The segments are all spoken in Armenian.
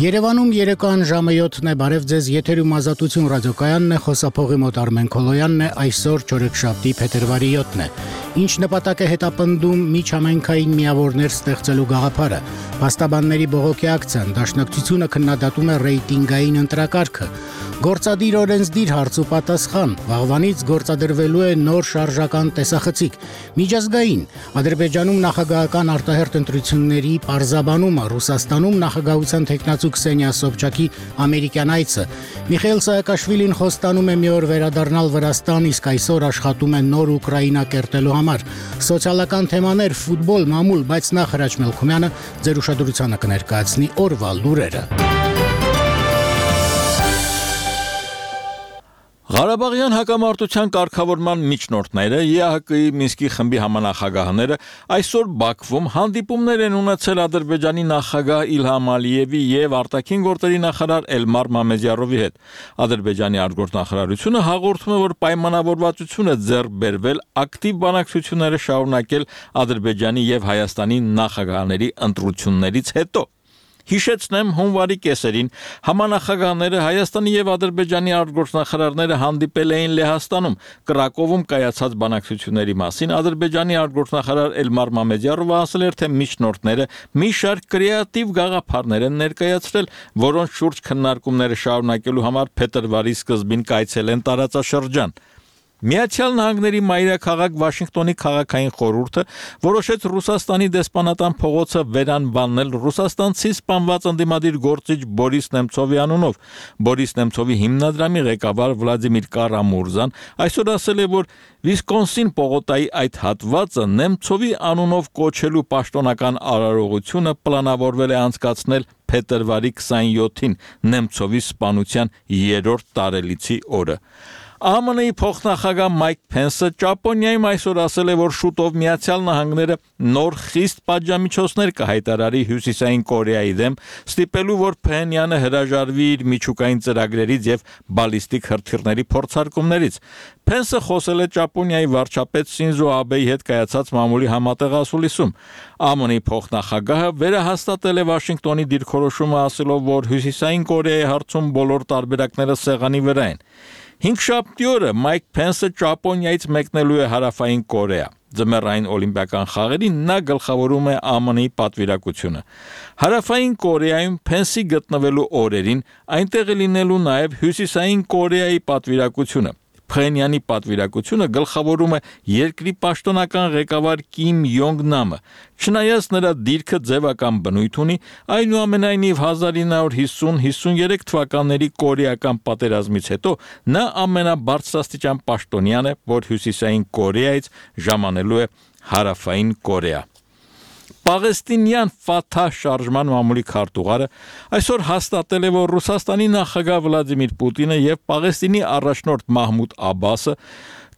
Երևանում երեկոյան ժամը 7-ն է, բարև ձեզ, եթերում Ազատություն ռադիոկայանն է, խոսափողի մոտ Արմեն Քոլոյանն է, այսօր չորեքշաբթի փետրվարի 7-ն է։ Ինչ նպատակ է հետապնդում միջհամայնքային միավորներ ստեղծելու գաղափարը։ Փաստաբանների բողոքի ակցիան, դաշնակցությունը քննադատում է ռեյտինգային ընտրակարգը։ Գործադիր օրենսդիր հարց ու պատասխան, վաղվանից գործադրվելու է նոր շարժական տեսախցիկ։ Միջազգային, Ադրբեջանում նախագահական արտահերթ ընտրությունների պարզաբանումը, Ռուսաստանում նախագահության թեկնածու Քսենիա Սոբչակի ամերիկյան այցը։ Միխայիլ Սահակաշվիլին խոստանում է մի օր վերադառնալ Վրաստան, իսկ այսօր աշխատում է նոր Ուկրաինա կերտելու համար։ Սոցիալական թեմաներ, ֆուտբոլ, մամուլ, բայց նախ Հրաչ Մելքումյանը ձեր ուշադրությանը կներկայացնի օրվա լուրերը։ Ղարաբաղյան հակամարտության կարգավորման միջնորդները, ԵԱՀԿ-ի Մինսկի խմբի համանախագահները այսօր Բաքվում հանդիպումներ են ունեցել Ադրբեջանի նախագահ Իլհամ Ալիևի եւ արտաքին գործերի նախարար Էլմար Մամեդյարովի հետ։ Ադրբեջանի արտգործնախարարությունը հաղորդում է, որ պայմանավորվածություն է ձեռք բերվել ակտիվ բանակցությունները շարունակել Ադրբեջանի եւ Հայաստանի նախագահների ընտրություններից հետո։ Հիշեցնեմ, հունվարի կեսերին համանախագահները Հայաստանի եւ Ադրբեջանի արտգործնախարարները հանդիպել էին Լեհաստանում, Կրակովում կայացած բանակցությունների մասին Ադրբեջանի արտգործնախարար Էլմար Մամեդյարովը ասել էր, թե միջնորդները մի շարք կրեատիվ գաղափարներ են ներկայացրել, որոնց շուրջ քննարկումները շարունակելու համար փետրվարի սկզբին կայցել են տարածաշրջան։ Միացյալ Նահանգների մայրաքաղաք Վաշինգտոնի քաղաքային խորհուրդը որոշեց Ռուսաստանի դեսպանատան փողոցը վերանվանել ռուսաստանցի սպանված ընդդիմադիր գործիչ Բորիս Նեմցովի անունով։ Բորիս Նեմցովի հիմնադրամի ղեկավար Վլադիմիր Կարամուրզան այսօր ասել է, որ Վիսկոնսին պողոտայի այդ հատվածը Նեմցովի անունով կոչելու պաշտոնական արարողությունը պլանավորվել է անցկացնել փետրվարի 27-ին Նեմցովի սպանության 3-րդ տարելիցի օրը։ ԱՄՆ-ի փոխնախագահ Մայք Փենսը Ճապոնիայում այսօր ասել է, որ շուտով Միացյալ Նահանգները նոր խիստ պատժամիջոցներ կհայտարարի Հյուսիսային Կորեայի դեմ, ստիպելու, որ Փենյանը հրաժարվի իր միջուկային ծրագրերից եւ բալիստիկ հրթիռների փորձարկումներից։ Փենսը խոսել է Ճապոնիայի վարչապետ Սինզո Աբեի հետ կայացած մամուլի համատեղ ասուլիսում։ ԱՄՆ-ի փոխնախագահը վերահաստատել է Վաշինգտոնի դիրքորոշումը, ասելով, որ Հյուսիսային Կորեայի հարցում բոլոր տարբերակները սեղանի վրա են։ Հինգշաբթի օրը Մայք Փենսը Ճապոնիայից մեկնելու է Հարավային Կորեա։ Ձմեռային օլիմպիական խաղերին նա գլխավորում է ԱՄՆ-ի պատվիրակությունը։ Հարավային Կորեայում Փենսի գտնվելու օրերին այնտեղ է լինելու նաև Հյուսիսային Կորեայի պատվիրակությունը։ Փենյանի պատվիրակությունը գլխավորում է երկրի պաշտոնական ղեկավար Կիմ Յոնգ Նամը։ Չնայած նրա դիրքը ձևական բնույթ ունի, այնուամենայնիվ 1950-53 թվականների կորեական պատերազմից հետո նա ամենաբարձրաստիճան պաշտոնյան է, որ Հյուսիսային Կորեայից ժամանելու է Հարավային Կորեա։ Պաղեստինյան Ֆաթահ շարժման մամուլի քարտուղարը այսօր հաստատել է, որ Ռուսաստանի նախագահ Վլադիմիր Պուտինը եւ Պաղեստինի առաջնորդ Մահմուդ Աբասը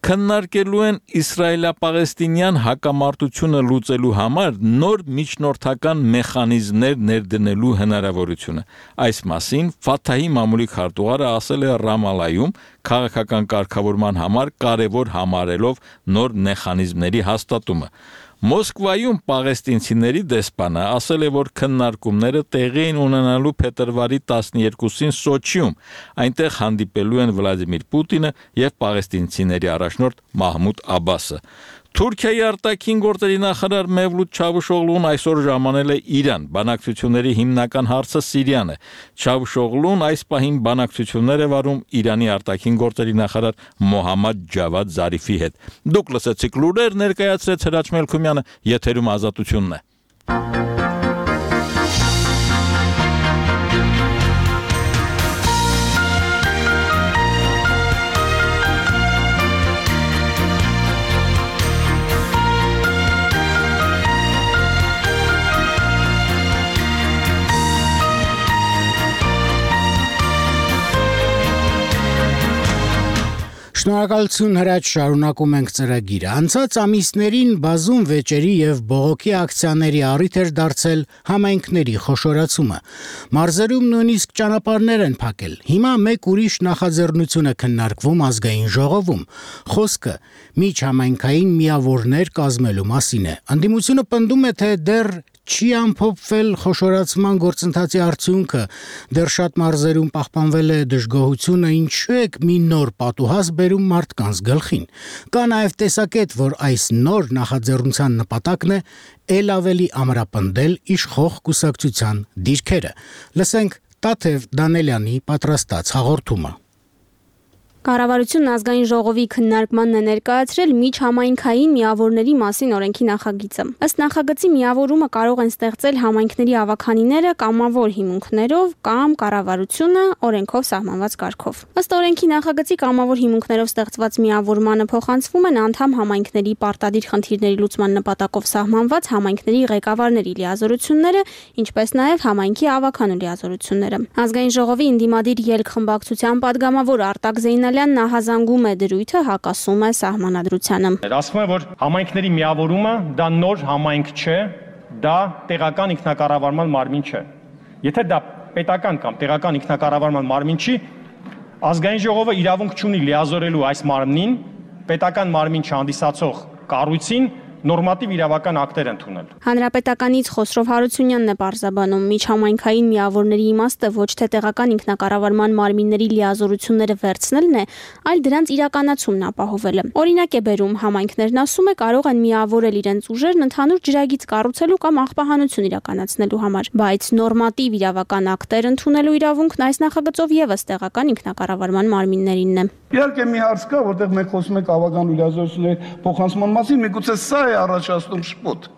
քննարկելու են իսրայելա-պաղեստինյան հակամարտությունը լուծելու համար նոր միջնորդական մեխանիզմներ ներդնելու հնարավորությունը։ Այս մասին Ֆաթահի մամուլի քարտուղարը ասել է Ռամալայում քաղաքական կարգավորման համար կարևոր համարելով նոր մեխանիզմների հաստատումը։ Մոսկվայում պաղեստինցիների դեսպանը ասել է, որ քննարկումները տեղի են ունենալու փետրվարի 12-ին Սոչիում։ Այնտեղ հանդիպելու են Վլադիմիր Պուտինը եւ պաղեստինցիների առաջնորդ Մահմուդ Աբասը։ Թուրքիայի արտաքին գործերի նախարար Մևլութ Չավուշօղլուն այսօր ժամանել է Իրան։ Բանակցությունների հիմնական հարցը Սիրիան է։ Չավուշօղլուն այս պահին բանակցություններ է վարում Իրանի արտաքին գործերի նախարար Մոհամմադ Ջավադ Զարիֆի հետ։ Դուք լսեցիք լուրեր, ներկայացրեց Հրաչ Մելքումյանը, եթերում Ազատությունն է։ Շնորհակալություն Հրաչ, շարունակում ենք ծրագիրը։ Անցած ամիսներին բազում վեճերի եւ բողոքի ակցիաների առիթ էր դարձել համայնքների խոշորացումը։ Մարզերում նույնիսկ ճանապարհներ են փակել։ Հիմա մեկ ուրիշ նախաձեռնություն է քննարկվում ազգային ժողովում։ Խոսքը միջհամայնքային միավորներ կազմելու մասին է։ Անդիմությունը պնդում է, թե դեռ չի ամփոփվել խոշորացման գործընթացի արդյունքը, դեռ շատ մարզերում պահպանվել է դժգոհությունը, ինչու եք մի նոր պատուհաս բերում մարդկանց գլխին։ Կա նաև տեսակետ, որ այս նոր նախաձեռնության նպատակն է ել ավելի ամրապնդել իշխող կուսակցության դիրքերը։ Լսենք Տաթև Դանելյանի պատրաստած հաղորդումը։ Կառավարությունն ազգային ժողովի քննարկմանն է ներկայացրել միջհամայնքային միավորների մասին օրենքի նախագիծը։ Ըստ նախագծի միավորումը կարող են ստեղծել համայնքների ավականիները կամավոր հիմունքներով կամ կառավարությունը օրենքով սահմանված կարգով։ Ըստ օրենքի նախագծի կամավոր հիմունքներով ստեղծված միավորմանը փոխանցվում են անդամ համայնքների պարտադիր խնդիրների լուծման նպատակով սահմանված համայնքների ղեկավարների լիազորությունները, ինչպես նաև համայնքի ավականու լիազորությունները։ Ազգային ժողովի ընդդիմադիր ելք խմբակցության падգամավոր Արտակ Նահազանգում է դրույթը, հակասում է սահմանադրությանը։ Ասվում է, որ համայնքների միավորումը դա նոր համայնք չէ, դա տեղական ինքնակառավարման մարմին չէ։ Եթե դա պետական կամ տեղական ինքնակառավարման մարմին չի, ազգային ժողովը իրավունք չունի լիազորելու այս մարմնին պետական մարմին չհանդիսացող կառույցին նորմատիվ իրավական ակտեր ընդունել։ Հանրապետականից Խոսրով Հարությունյանն է պարզաբանում, միջհամայնքային միավորների իմաստը ոչ թե տեղական ինքնակառավարման մարմինների լիազորությունները վերցնելն է, այլ դրանց իրականացումն ապահովելը։ Օրինակ է բերում, համայնքներն ասում է կարող են միավորել իրենց ուժերն ընդհանուր ջրագիծ կառուցելու կամ աղբահանություն իրականացնելու համար, բայց նորմատիվ իրավական ակտեր ընդունելու իրավունքն այս նախագծով եւս տեղական ինքնակառավարման մարմիններինն է։ Իհարկե մի հարց կա, որտեղ մենք խոսում ենք ավականու լիազորությունների փոխանցման մասին, միգուցե սա է առաջացնում շփոթ։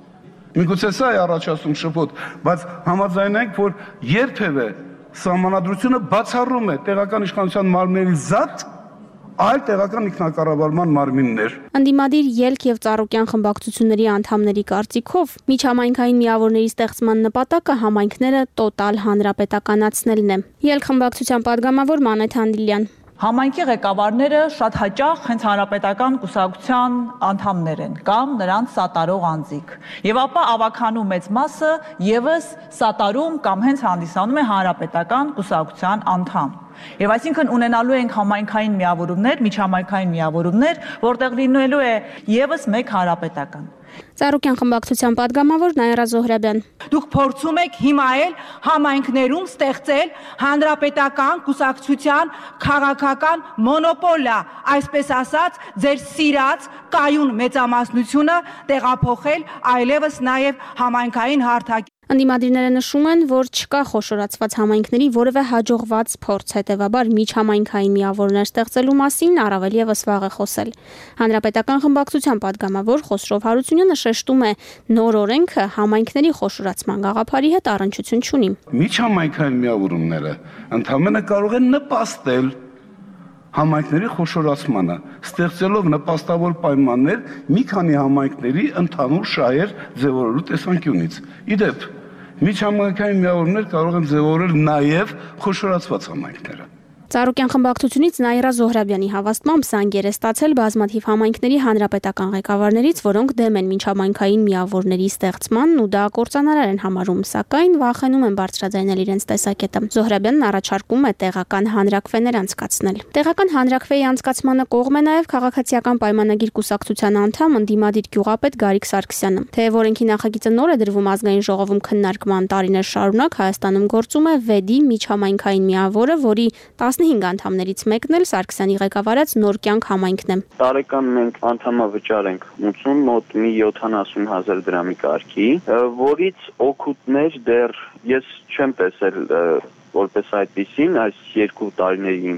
Միգուցե սա է առաջացնում շփոթ, բայց համաձայնենք, որ երբևէ սահմանադրությունը բացառում է տեղական իշխանության մարմինների զատ այլ տեղական ինքնակառավարման մարմիններ։ Ընդդիմադիր ելք եւ ծառուկյան խմբակցությունների անդամների կարծիքով միջհամայնքային միավորների ստեղծման նպատակը համայնքները տոտալ հանրապետականացնելն է։ Ելք խմբակցության падգամավոր Մանեթ Անդիլյան Համայնքի ղեկավարները շատ հաճախ հենց հանրապետական կուսակցության անդամներ են կամ նրանց սատարող անձիկ։ Եվ ապա ավականու մեծ մասը եւս սատարում կամ հենց հանդիսանում է հանրապետական կուսակցության անդամ։ Եվ այսինքն ունենալու ենք համայնքային միավորումներ, միջհամայնքային միավորումներ, որտեղ լինելու է եւս մեկ հանրապետական։ Ծառուկյան խմբակցության падգամավոր Նաիրա Զոհրաբյան Դուք փորձում եք հիմա էլ համայնքներում ստեղծել հանրապետական կուսակցության քաղաքական մոնոպոլիա, այսպես ասած, ձեր սիրած կայուն մեծամասնությունը տեղափոխել այլևս նաև համայնքային հարթակի։ Ընդդիմադիրները նշում են, որ չկա խոշորացված համայնքների որևէ հաջողված փորձ, հետևաբար միջհամայնքային միավորներ ստեղծելու մասին առավել եւս վաղ է խոսել։ Հանրապետական խմբակցության падգամավոր Խոսրով Հարությունյանը շեշտում է, նոր օրենքը համայնքների խոշորացման գաղափարի հետ առնչություն չունի։ Միջհամայնքային միավորումները ընդհանրապես կարող են նպաստել համայնքների խոշորացմանը, ստեղծելով նպաստավոր պայմաններ մի քանի համայնքների ընդհանուր շահեր ձևավորելու տեսանկյունից։ Իդեպ, միջհամայնքային միավորումներ կարող են ձևավորել նաև խոշորացված համայնքները։ Ծառուկյան խմբակցությունից Նաիրա Զոհրաբյանի հավաստմամբ զանգեր է ստացել բազմաթիվ համայնքների հանրապետական ղեկավարներից, որոնք դեմ են միջհամայնքային միավորների ստեղծմանն ու դա կործանարար են համարում, սակայն վախենում են բարձրաձայնել իրենց տեսակետը։ Զոհրաբյանն առաջարկում է տեղական հանրակրվեներ անցկացնել։ Տեղական հանրակրվեի անցկացմանը կողմ է նաև քաղաքացիական պայմանագիր կուսակցության անդամ ընդդիմադիր գյուղապետ Գարիկ Սարգսյանը։ Թեև օրենքի նախագիծը նոր է դրվում ազգային ժողովում քննարկման տարիներ շարունակ Հայաստանում գործում է VED-ի միջհամայնքային միավորը, որի 15 անդամներից մեկն էլ Սարգսյանի ղեկավարած Նոր կյանք համայնքն է։ Տարեկան մենք անդամավճար ենք ունեցում մոտ մի 70,000 դրամի կարգի, որից օգուտներ դեռ ես չեմ տեսել որպես այդպիսին այս 2 տարիների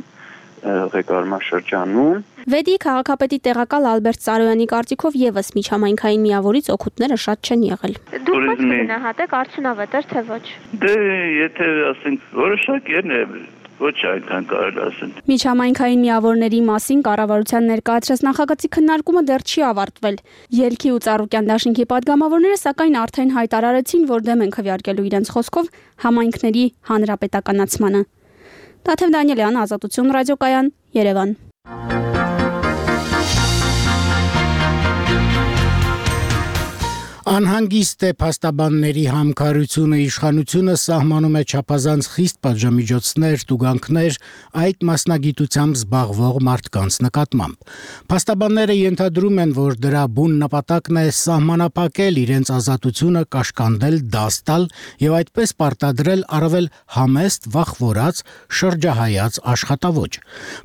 ղեկավարման շրջանում։ VED-ի քաղաքապետի տեղակալ Ալբերտ Սարոյանի կարծիքով եւս միջհամայնքային միավորից օգուտները շատ չեն եղել։ Դուք ո՞նց գնահատեք, արդյունավետ էր թե ոչ։ Դե եթե ասենք որոշակիորեն ոչ այնքան կարելի ասել։ Միջհամայնքային միավորների մասին կառավարության ներկայացրած նախագծի քննարկումը դեռ չի ավարտվել։ Ելքի ու Ծառուկյան դաշինքի падգամավորները սակայն արդեն հայտարարեցին, որ դեմ են քվեարկելու իրենց խոսքով համայնքների հանրապետականացմանը։ Տաթև Դանիելյան, Ազատություն ռադիոկայան, Երևան։ Անհանգիստ է փաստաբանների համքարությունը, իշխանությունը սահմանում է չափազանց խիստ պատժամիջոցներ, տուգանքներ այդ մասնագիտությամբ զբաղվող մարդկանց նկատմամբ։ Փաստաբանները ենթադրում են, որ դրա բուն նպատակն է սահմանափակել իրենց ազատությունը, կաշկանդել, դաս տալ եւ այդպես պարտադրել առավել համեստ, վախվորած, շրջահայաց աշխատավոճ։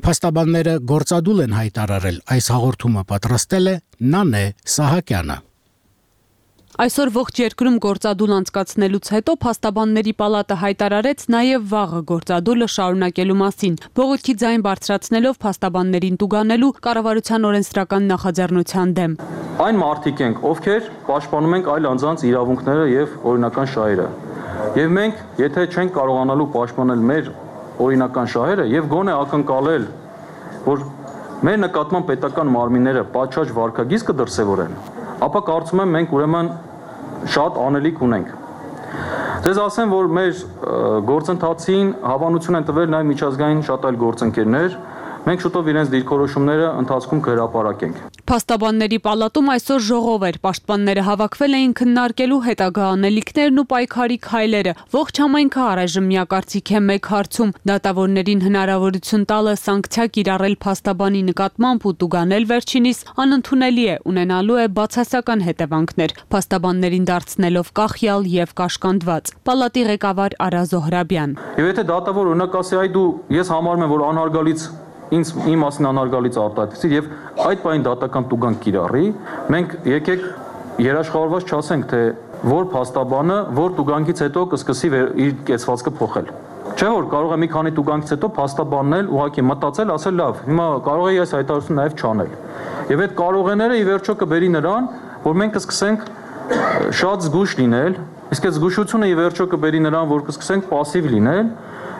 Փաստաբանները գործադուլ են հայտարարել, այս հաղորդումը պատրաստել է Նանե Սահակյանը։ Այսօր ողջ երկրում գործադուլ անցկացնելուց հետո Փաստաբանների պալատը հայտարարեց նաև վաղը գործադուլը շարունակելու մասին, բողոքի ձայն բարձրացնելով փաստաբաններին տուգանելու կառավարության օրենսդրական նախաձեռնության դեմ։ Այն մարդիկ ենք, ովքեր պաշտպանում ենք այլ անձանց իրավունքները եւ օրինական շահերը։ Եվ մենք, եթե չենք կարողանալու պաշտպանել մեր օրինական շահերը եւ գոնե ակնկալել, որ մեր նկատմամբ պետական մարմինները պատշաճ վարքագիծ կդրսևորեն, ապա կարծում եմ մենք ուրեմն շատ անելիք ունենք։ Ձեզ ասեմ, որ մեր գործընթացին հավանություն են տվել նաև միջազգային շատ այլ գործընկերներ, մենք շուտով իրենց դիրքորոշումները ընթացքում կհրապարակենք։ Փաստաբանների պալատում այսօր ժողով էր, պաշտպանները հավաքվել էին քննարկելու հետագա անելիքներն ու պայքարի քայլերը։ Ողջ համայնքը առայժմ միակարծիք է մեկ հարցում՝ դատավորներին հնարավորություն տալը սանկցիա կիրառել փաստաբանի նկատմամբ ու տուգանել վերջինիս անընդունելի է, ունենալու է բացասական հետևանքներ, փաստաբաններին դարձնելով կախյալ եւ կաշկանդված։ Պալատի ղեկավար Արա Զոհրաբյան։ Եվ եթե դատավոր օրինակ ասի, այ դու ես համարում եմ, որ անհարգալից իմ մասին անհարգալից արտահայտվեցի եւ այդ բանի դատական տուգանք կիրառի, մենք եկեք երաշխավորված չասենք, թե որ փաստաբանը որ տուգանքից հետո կսկսի իր կեցվածքը փոխել։ Չէ՞ որ կարող է մի քանի տուգանքից հետո փաստաբանն էլ ուղղակի մտածել, ասել լավ, հիմա կարող է այս հայտարարությունը նաեւ չանել։ Եվ այդ կարողները ի վերջո կբերի նրան, որ մենք կսկսենք շատ զգուշ լինել, իսկ այդ զգուշությունը ի վերջո կբերի նրան, որ կսկսենք пассив լինել,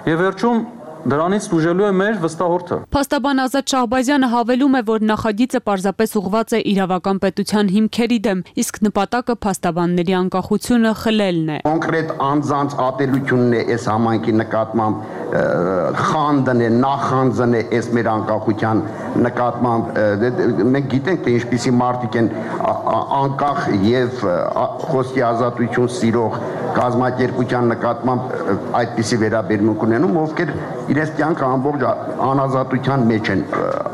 եւ վերջում դրանից դժուժելու է մեր վստահորդը։ Փաստաբան Ազատ Շահբազյանը հավելում է, որ նախագիծը պարզապես ուղղված է իրավական պետության հիմքերի դեմ, իսկ նպատակը փաստաբանների անկախությունը խլելն է։ Կոնկրետ անձանց ատելությունն է այս համայնքի նկատմամբ, խանդն է, նախանձն է այս մեր անկախության նկատմամբ։ Մենք գիտենք, թե ինչպիսի մարդիկ են անկախ եւ խոսքի ազատություն սիրող կազմակերպության նկատմամբ այդպիսի վերաբերմունք ունենում, ովքեր իրենց կյանքը ամբողջ անազատության մեջ են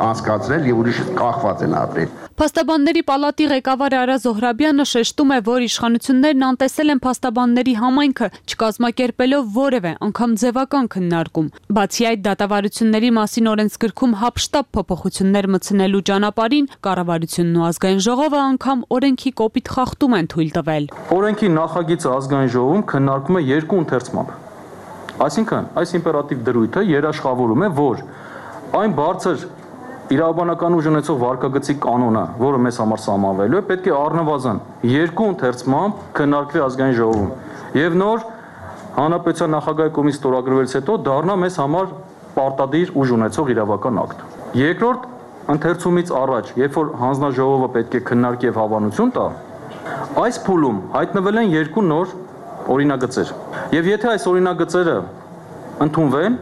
անցկացրել եւ ուրիշ կախված են ապրել։ Փաստաբանների պալատի ղեկավար Արա Զոհրաբյանը շեշտում է, որ իշխանություններն անտեսել են փաստաբանների համայնքը, չկազմակերպելով որևէ անգամ ձևական քննարկում։ Բացի այդ, դատավարությունների մասին օրենսգրքում հապշտապ փոփոխություններ մտցնելու ճանապարհին կառավարությունն ու ազգային ժողովը անգամ օրենքի կոպիտ խախտում են թույլ տվել։ Օրենքի նախագիծը ազգային ժողովում քննարկվում է երկու ընթերցմամբ։ Այսինքն, այս իմպերատիվ դրույթը երաշխավորում է, որ այն բարձր իրավաբանական ուժ ունեցող վարկագծի կանոնը, որը մեզ համար սահմանվելու է, պետք է առնվազն երկու ընթերցմամբ քննարկվի ազգային ժողովում եւ նոր հանրապետության նախագահի կողմից ստորագրվելուց հետո դառնա մեզ համար պարտադիր ուժ ունեցող իրավական ակտ։ Երկրորդ ընթերցումից առաջ, երբ որ հանձնաժողովը պետք է քննարկի եւ հավանություն տա, այս փուլում հայտնվել են երկու նոր օրինագծեր։ Եվ եթե այս օրինագծերը ընդունվեն,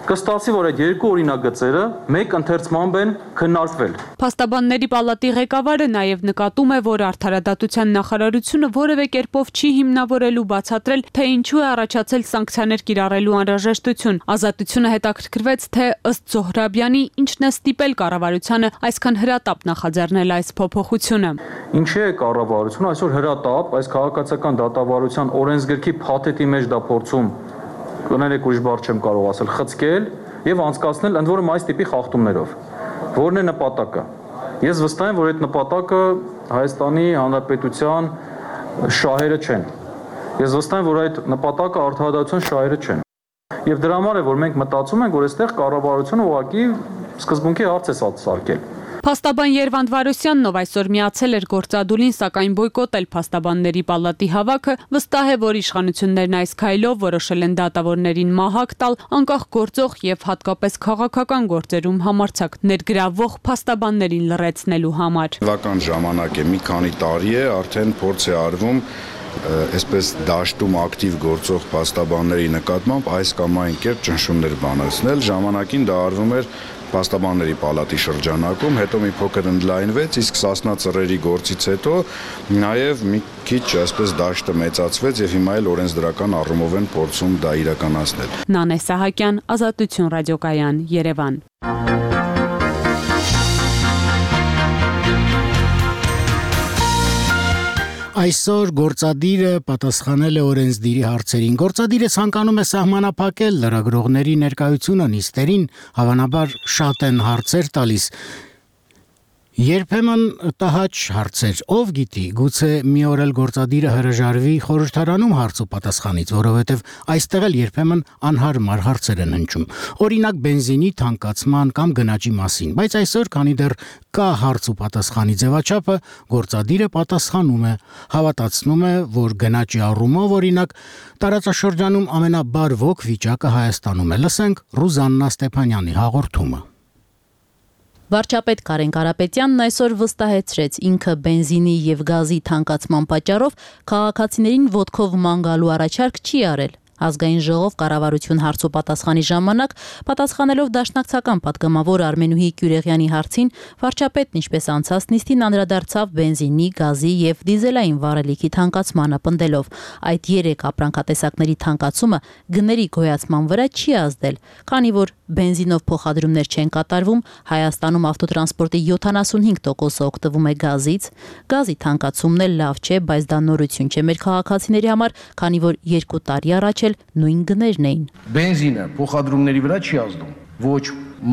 կստացվի, որ այդ երկու օրինագծերը մեկ ընթերցմամբ են քննարկվել։ Փաստաբանների պալատի ղեկավարը նաև նկատում է, որ արդարադատության նախարարությունը որևէ կերպով չի հիմնավորելու բացատրել, թե ինչու է առաջացել սանկցիաներ կիրառելու անհրաժեշտություն։ Ազատությունը հետաքրքրվեց, թե ըստ Զոհրաբյանի ինչն է ստիպել կառավարությանը այսքան հրատապ նախաձեռնել այս փոփոխությունը։ Ինչի է կառավարությունը այսօր հրատապ այս քաղաքացիական դատավարության օրենսգրքի փաթեթի մեջ դա փորձում կներեք ուրիշ բառ չեմ կարող ասել, խցկել եւ անցկացնել ընդ որում այս տիպի խախտումներով։ Որն է նպատակը։ Ես վստահ եմ, որ այդ նպատակը Հայաստանի Հանրապետության շահերը չեն։ Ես վստահ եմ, որ այդ նպատակը արդարադատության շահերը չեն։ Եվ դրա համար է, որ մենք մտածում ենք, որ այստեղ կառավարությունը ուղղակի սկզբունքի հարց է սարքել։ Փաստաբան Երվանդ Վարոսյանն, ով այսօր միացել էր գործադուլին, սակայն բոյկոտել Փաստաբանների պալատի հավաքը, վստահ է, որ իշխանություններն այս քայլով որոշել են դատավորներին մահակ տալ, անկախ գործող եւ հատկապես քաղաքական գործերում համարձակ ներգրավվող փաստաբաններին լռեցնելու համար։ Բավական ժամանակ է, մի քանի տարի է, արդեն փորձ է արվում այսպես դաշտում ակտիվ գործող փաստաբանների նկատմամբ այս կամ այն կերպ ճնշումներ բանացնել։ Ժամանակին դա արվում էր Փաստաբանների պալատի շրջանակում, հետո մի փոքր ընդլայնվեց, իսկ Սասնա ծռերի գործից հետո նաև մի քիչ այսպես դաշտը մեծացվեց եւ հիմա էլ օրենսդրական առումով են փորձում դա իրականացնել։ Նանե Սահակյան, Ազատություն ռադիոկայան, Երևան։ Այսօր գործադիրը պատասխանել է օրենսդիրի հարցերին։ Գործադիրը ցանկանում է սահմանափակել լրագրողների ներկայությունը նիստերին, հավանաբար շատ են հարցեր տալիս։ Երբեմն տհաճ հարցեր, ով գիտի, գուցե մի օր էլ գործադիրը հրաժարվի խորհրդարանում հարց ու պատասխանից, որովհետև այստեղ էլ երբեմն անհարմար հարցեր են հնչում։ Օրինակ բենզինի թանկացման կամ գնաճի մասին, բայց այսօր, քանի դեռ կա հարց ու պատասխանի ձևաչափը, գործադիրը պատասխանում է, հավատացնում է, որ գնաճի առումով, օրինակ, տարածաշրջանում ամենաբարվոք վիճակը Հայաստանում է։ Լսենք Ռուզաննա Ստեփանյանի հաղորդումը։ Վարչապետ Կարեն Կարապետյանն այսօր վստահեցրեց ինքը բենզինի եւ գազի թանկացման պատճառով քաղաքացիներին ոտքով ման գալու առաջարկ չի արել։ Ազգային ժողով կառավարություն հարց ու պատասխանի ժամանակ պատասխանելով դաշնակցական падգամավոր Արմենուհի Կյուրեղյանի հարցին, վարչապետն ինչպես անցած նիստին անդրադարձավ բենզինի, գազի եւ դիզելային վառելիքի թանկացմանը, պնդելով այդ 3 ապրանքատեսակների թանկացումը գների գոյացման վրա չի ազդել, քանի որ բենզինով փոխադրումներ չեն կատարվում, Հայաստանում ավտոտրանսպորտի 75% օգտվում է գազից, գազի թանկացումն էլ լավ չէ, բայց դա նորություն չէ մեր քաղաքացիների համար, քանի որ 2 տարի առաջ նույն գներն էին։ Բենզինը փոխադրումների վրա չի ազդում, ոչ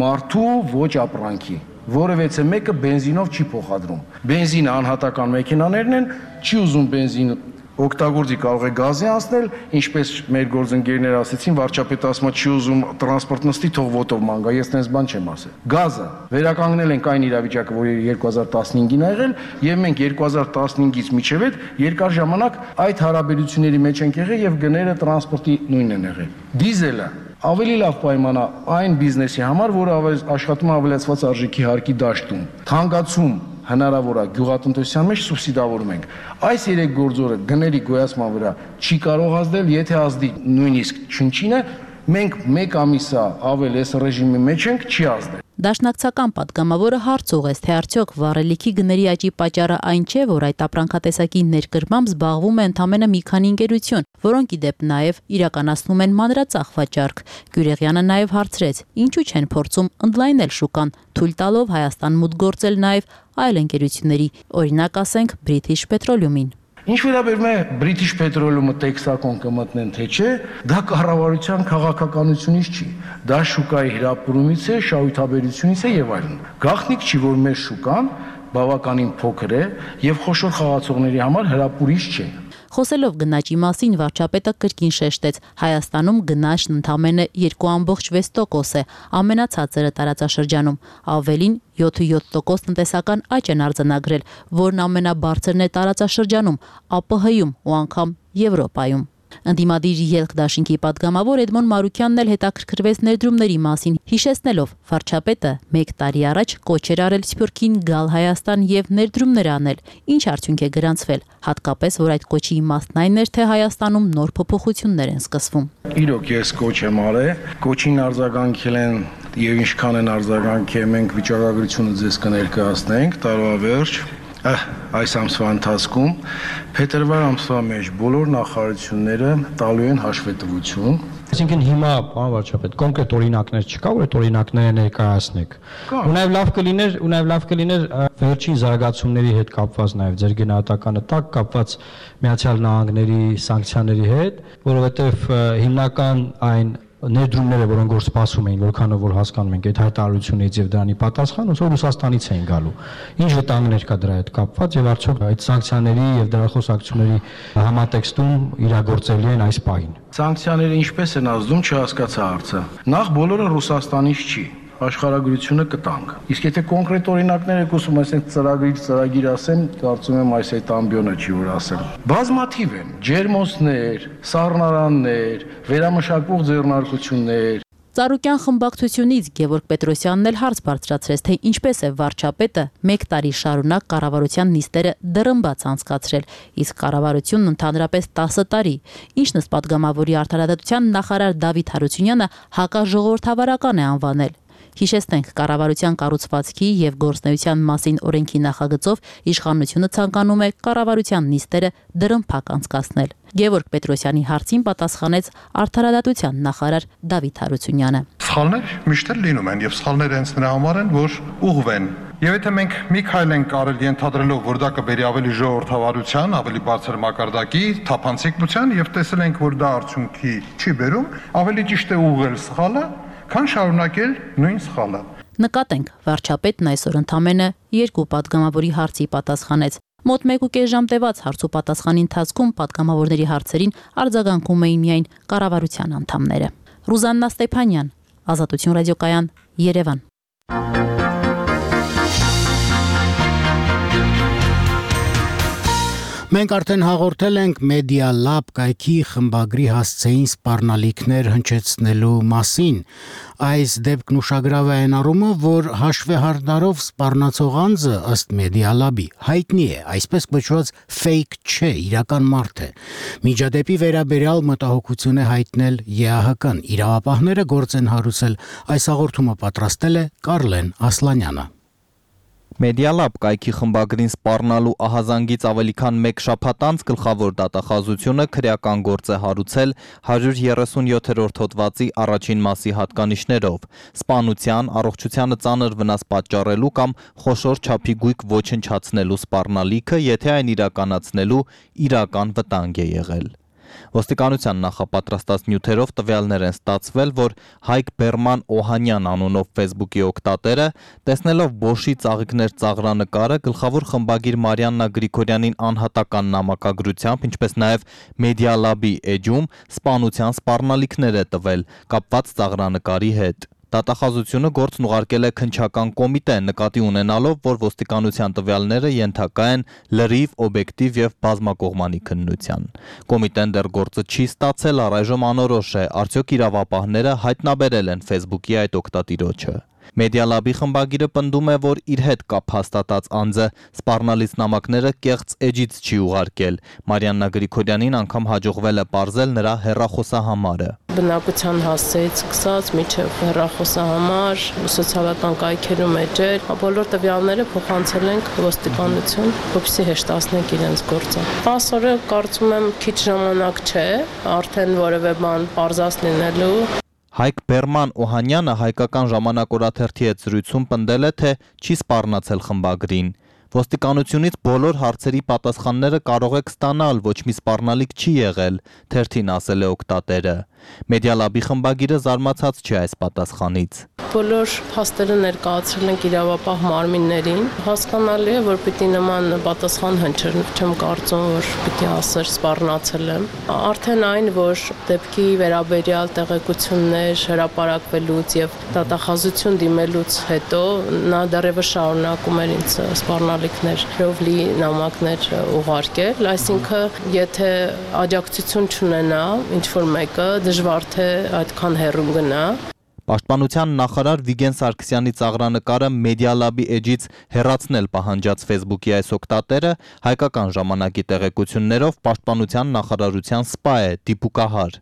մարդու, ոչ ապրանքի։ Որևէ մեկը բենզինով չի փոխադրում։ Բենզինը անհատական մեքենաներն են, չի ուզում բենզին օգտագործի, կարող է գազի անցնել, ինչպես մեր գործընկերները ասեցին, վարչապետը ասում է չի ուզում տրանսպորտ նստի, թող ոտով ման գա, ես տենց բան չեմ ասել։ Գազը վերականգնել ենք այն իրավիճակը, որ 2015-ին ա եղել, եւ մենք 2015-ից մինչեւ այդ երկար ժամանակ այդ հարաբերությունների մեջ ենք եղել եւ գները տրանսպորտի նույնն են եղել։ Դիզելը ավելի լավ պայմանա այն բիզնեսի համար, որը աշխատում է ավելացված արժեքի հարկի դաշտում։ Թանկացում հնարավոր է գյուղատնտեսության մեջ սուբսիդավորում ենք։ Այս 3 գործոնը գների գոյացման վրա չի կարող ազդել, եթե ազդի նույնիսկ չնչինը, մենք 1 ամիսա ավել այս ռեժիմի մեջ ենք, չի ազդել։ Դաշնակցական падգամավորը հարց ուղղեց, թե արդյոք վառելիքի գների աճի պատճառը այն չէ, որ այդ ապրանքատեսակի ներկրմամբ զբաղվում է ընդամենը մի քանի ընկերություն, որոնք ի դեպ նաև իրականացնում են մանրածախ վաճառք։ Գյուրեղյանը նաև հարցրեց, ինչու չեն փորձում ընդլայնել շուկան, թույլ տալով Հայաստան մուտք գործել նաև այլ ընկերությունների, օրինակ ասենք British Petroleum-ին։ Ինչ վերաբերում է British Petroleum-ը տեքսակոն կմտնեն, թե չէ, դա կառավարության քաղաքականությունից չի։ Դա շուկայի հրապուրումից է, շահութաբերությունից է եւ այլն։ Գաղտնիք չի, որ մեր շուկան բավականին փոքր է եւ խոշոր խաղացողների համար հրապուրիչ չէ։ Խոսելով գնաճի մասին, վարչապետը կրկին շեշտեց, Հայաստանում գնաճն ընդամենը 2.6% է, ամենացածրը տարածաշրջանում, ավելին 7% տնտեսական աճ են արձանագրել, որն ամենաբարձրն է տարածաշրջանում, ԱՊՀ-ում ու անգամ Եվրոպայում։ Ընդդիմադիր ելք դաշինքի падգամավոր Էդմոն Մարուկյանն էլ հետաքրքրվեց ներդրումների մասին, հիշեցնելով վարչապետը 1 տարի առաջ կոչ էր արել Սփյուռքին գալ Հայաստան եւ ներդրումներ անել, ինչ արդյունք է գրանցվել, հատկապես որ այդ կոչի իմաստն այն էր, թե Հայաստանում նոր փոփոխություններ են սկսվում։ Իրոք ես կոչ եմ արել, կոչին արձագանքել են եւ ինչքան են արձագանքել, մենք վիճակագրությունը ձեզ կներկայացնենք տարվա վերջ այս ամսվա ընթացքում փետրվար ամսվա մեջ բոլոր նախարարությունները տալու են հաշվետվություն։ Այսինքն հիմա, պարոն վարչապետ, կոնկրետ օրինակներ չկա, որ այդ օրինակները ներկայացնեք։ Ու նաև լավ կլիներ վերջին զարգացումների հետ կապված նաև ձեր գնահատականը տակ կապված Միացյալ Նահանգների սանկցիաների հետ, որովհետև հիմնական այն ներդրումները, որոնք որ սպասում էին, որքանով որ հասկանում ենք այդ հայտարարությունից եւ դրանի պատասխան, ոնց որ Ռուսաստանից էին գալու։ Ինչ վտանգներ կա դրա հետ կապված եւ արդյոք այդ սանկցիաների եւ դրա խոսակցությունների համատեքստում իրագործելի են այս պահին։ Սանկցիաները ինչպես են ազդում, չհասկացա հարցը։ Նախ բոլորը Ռուսաստանից չի, աշխարհագրությունը կտանք։ Իսկ եթե կոնկրետ օրինակներ եք ուզում, այսինքն ծրագիր ասեմ, կարծում եմ այս այդ ամբիոնը չի որ ասեմ։ Բազմաթիվ են ջերմոցներ, սառնարաններ, վերամշակվող ձեռնարկություններ։ Ծառուկյան խմբակցությունից Գևորգ Պետրոսյանն էլ հարց բարձրացրեց, թե ինչպես է վարչապետը 1 տարի շարունակ կառավարության նիստերը դռնբաց անցկացրել, իսկ կառավարությունն ընդհանրապես 10 տարի։ Ինչն ըստ падգամավորի արդարադատության նախարար Դավիթ Հարությունյանը հակաժողովրդավարական է անվանել։ Հիշեցնենք, կառավարության կառուցվածքի եւ գործնեության մասին օրենքի նախագծով իշխանությունը ցանկանում է կառավարության նիստերը դրամփակ անցկացնել։ Գևորգ Պետրոսյանի հարցին պատասխանեց Արդարադատության նախարար Դավիթ Հարությունյանը։ Սխալներ միշտ լինում են եւ սխալները հենց նրա համար են, որ ուղղվեն։ Եվ եթե մենք մի քայլ ենք արել ենթադրելով, որ դա կբերի ավելի ժողովրդավարության, ավելի բարձր մակարդակի, թափանցիկության եւ տեսել ենք, որ դա արդյունքի չի բերում, ավելի ճիշտ է ուղղել սխալը, քան շարունակել նույն սխալը։ Նկատենք, վարչապետն այսօր ընդամենը 2 պատգամավորի հարցի պատասխանեց։ Մոտ 1.5 ժամ տևած հարց ու պատասխանի ընթացքում պատգամավորների հարցերին արձագանքում էին միայն կառավարության անդամները։ Ռուզաննա Ստեփանյան, Ազատություն ռադիոկայան, Երևան։ Մենք արդեն հաղորդել ենք Media Lab կայքի խմբագրի հասցեին սպառնալիքներ հնչեցնելու մասին։ Այս դեպքն ուշագրավ է այն առումով, որ հաշվեհարդարով սպառնացող անձը ըստ Media Lab-ի հայտնի է, այսպես կոչված fake չէ, իրական մարդ է։ Միջադեպի վերաբերյալ մտահոգություն է հայտնել ԵԱՀԿ-ն։ Իրավապահները գործ են հարուցել։ Այս հաղորդումը պատրաստել է Կարլեն Ասլանյանը։ Media Lab կայքի խմբագրին սպառնալու ահազանգից ավելի քան 1 շաբաթ անց գլխավոր դատախազությունը քրեական գործ է հարուցել 137-րդ հոդվածի առաջին մասի հատկանիշներով՝ սպանության, առողջությանը ծանր վնաս պատճառելու կամ խոշոր չափի գույք ոչնչացնելու սպառնալիքը, եթե այն իրականացնելու իրական վտանգ է եղել։ Ոստիկանության նախապատրաստած նյութերով տվյալներ են ստացվել, որ Հայկ Բերման Օհանյան անունով Facebook-ի օգտատերը, տեսնելով Bosch-ի ծաղիկներ ծաղրանկարը, գլխավոր խմբագիր Մարիաննա Գրիգորյանին անհատական նամակագրությամբ, ինչպես նաև Media Lab-ի էջում սպանության սպառնալիքներ է տվել կապված ծաղրանկարի հետ։ Դատախազությունը գործն ուղարկել է քննչական կոմիտե, նկատի ունենալով, որ ոստիկանության տվյալները ենթակա են լրիվ, օբյեկտիվ եւ բազմակողմանի քննության։ Կոմիտեն դեռ գործը չի ստացել, առայժմ անորոշ է, արդյոք իրավապահները հայտնաբերել են Facebook-ի այդ օգտատիրոջը։ Media Lab-ի խմբագիրը պնդում է, որ իր հետ կապ հաստատած անձը սպառնալից նամակները կեղծ էջից չի ուղարկել։ Մարիաննա Գրիգորյանին անգամ հաջողվել է պարզել նրա հեռախոսահամարը։ Բնակության հասցեից սկսած մինչև հեռախոսահամար, սոցիալական կայքերում էջեր, բոլոր տվյալները փոխանցել ենք ոստիկանություն, որպեսզի հեշտացնենք իրենց գործը։ 10 օրը կարծում եմ քիչ ժամանակ չէ, արդեն որևէ բան պարզած լինելու։ Հայկ Բերման Օհանյանը հայկական ժամանակ օրաթերթի հետ զրույցում պնդել է, թե չի սպառնացել խմբագրին։ Ոստիկանությունից բոլոր հարցերի պատասխանները կարող եք ստանալ, ոչ մի սպառնալիք չի եղել, թերթին ասել է օգտատերը։ Media Lab-ի խմբագիրը զարմացած չի այս պատասխանից։ Բոլոր փաստերը ներկայացրել ենք իրավապահ մարմիններին։ Հասկանալի է, որ պիտի նման պատասխան հնչեր, չեմ կարծում, որ պիտի ասեր սպառնացել եմ։ Արդեն այն, որ դեպքի վերաբերյալ տեղեկություններ հրապարակվելուց եւ դատախազություն դիմելուց հետո նա դեռևս շարունակում էր ինձ սպառնալիքներով լի նամակներ ուղարկել, այսինքն եթե աջակցություն չունենա ինչ-որ մեկը, դժվար թե այդքան հեռու գնա։ Պաշտպանության նախարար Վիգեն Սարգսյանի ծաղրանկարը Media Lab-ի էջից հեռացնել պահանջած Facebook-ի այս օգտատերը հայկական ժամանակի տեղեկություններով պաշտպանության նախարարության սպա է, դիպուկահար։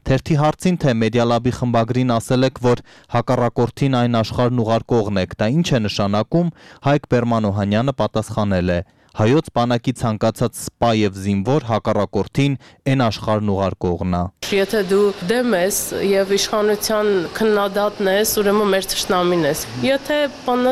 Թերթի հարցին, թե Media Lab-ի խմբագրին ասել եք, որ հակառակորդին այն աշխարհն ուղարկողն եք, դա ինչ է նշանակում, Հայկ Բերման Օհանյանը պատասխանել է. Հայոց բանակի ցանկացած սպա եւ զինվոր հակառակորդին այն աշխարհն ուղարկողն է։ Եթե դու դեմ ես եւ իշխանության քննադատն ես, ուրեմն մեր թշնամին ես։ Եթե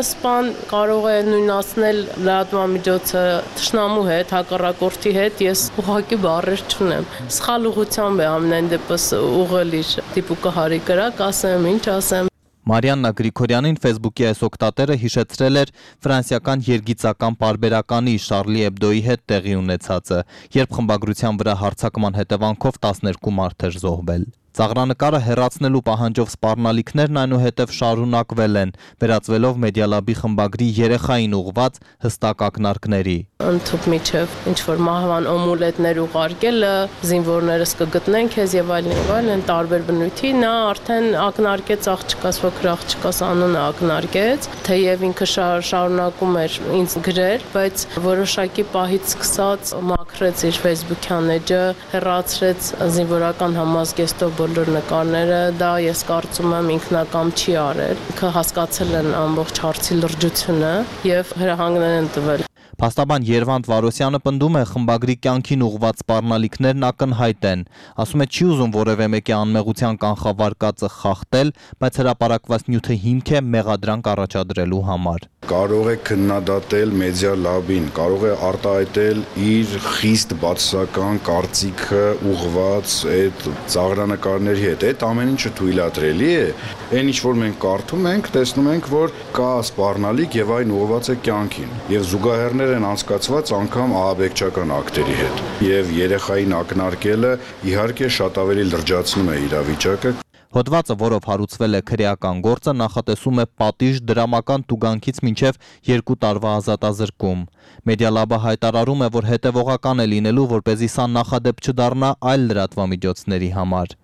սպան կարող է նույնացնել լրատվամիջոցը թշնամու հետ, հակառակորդի հետ, ես ուղղակի բառեր չունեմ։ Սխալ ուղղությամբ է ամեն դեպս ուղղել իր դիպուկահարի կրակ, ասեմ, ինչ ասեմ։ Մարիաննա Գրիգորյանին Facebook-ի այս օգտատերը հիշեցրել էր ֆրանսիական երգիծական պարբերականի Շարլի Էբդոյի հետ տեղի ունեցածը, երբ խմբագրության վրա հարձակման հետևանքով 12 մարդ էր զոհվել։ Ծաղրանկարը հեռացնելու պահանջով սպառնալիքներն այնուհետև շարունակվել են, վերածվելով Media Lab-ի խմբագրի երեխային ուղղված հստակ ակնարկների։ Ընդհանուր միջև ինչ-որ մահվան օմուլետներ ուղարկելը, զինվորներս կգտնեն քեզ եւ այլն, տարբեր բնույթի, նա արդեն ակնարկեց աղջկաս, փոքր աղջկաս անունը ակնարկեց, թեև ինքը շարունակում էր ինձ գրել, բայց որոշակի պահից սկսած Փակրեց իր Facebook-յան էջը, հեռացրեց զինվորական համազգեստով բոլոր նկարները, դա ես կարծում եմ ինքնակամ չի արել։ Ինքը հասկացել են ամբողջ հարցի լրջությունը եւ հրահանգներ են տվել։ Փաստաբան Երվանդ Վարոսյանը պնդում է խմբագրի կյանքին ուղղված սպառնալիքներն ակնհայտ են, ասում է չի ուզում որևէ մեկի անմեղության կանխավարկածը խախտել, բայց հրապարակված նյութը հիմք է մեղադրանք առաջադրելու համար։ Կարող է քննադատել մեդիա լաբին, կարող է արտահայտել իր խիստ բացասական կարծիքը ուղղված այդ ծաղրանկարների հետ։ Այդ ամեն ինչը թույլատրելի է։ Այն ինչ որ մենք կարդում ենք, տեսնում ենք, որ կա սպառնալիք եւ այն ուղղված է կյանքին։ Եվ զուգահեռներ են անցկացված անգամ ահաբեկչական ակտերի հետ։ Եվ երեխային ակնարկելը իհարկե շատ ավելի լրջացնում է իրավիճակը։ Հոդվածը, որով հարուցվել է քրեական գործը, նախատեսում է պատիժ դրամական տուգանքից մինչև 2 տարվա ազատազրկում։ Մեդիալաբը հայտարարում է, որ հետևողական է լինելու, որպեսզի սա նախադեպ չդառնա այլ լրատվամիջոցների համար։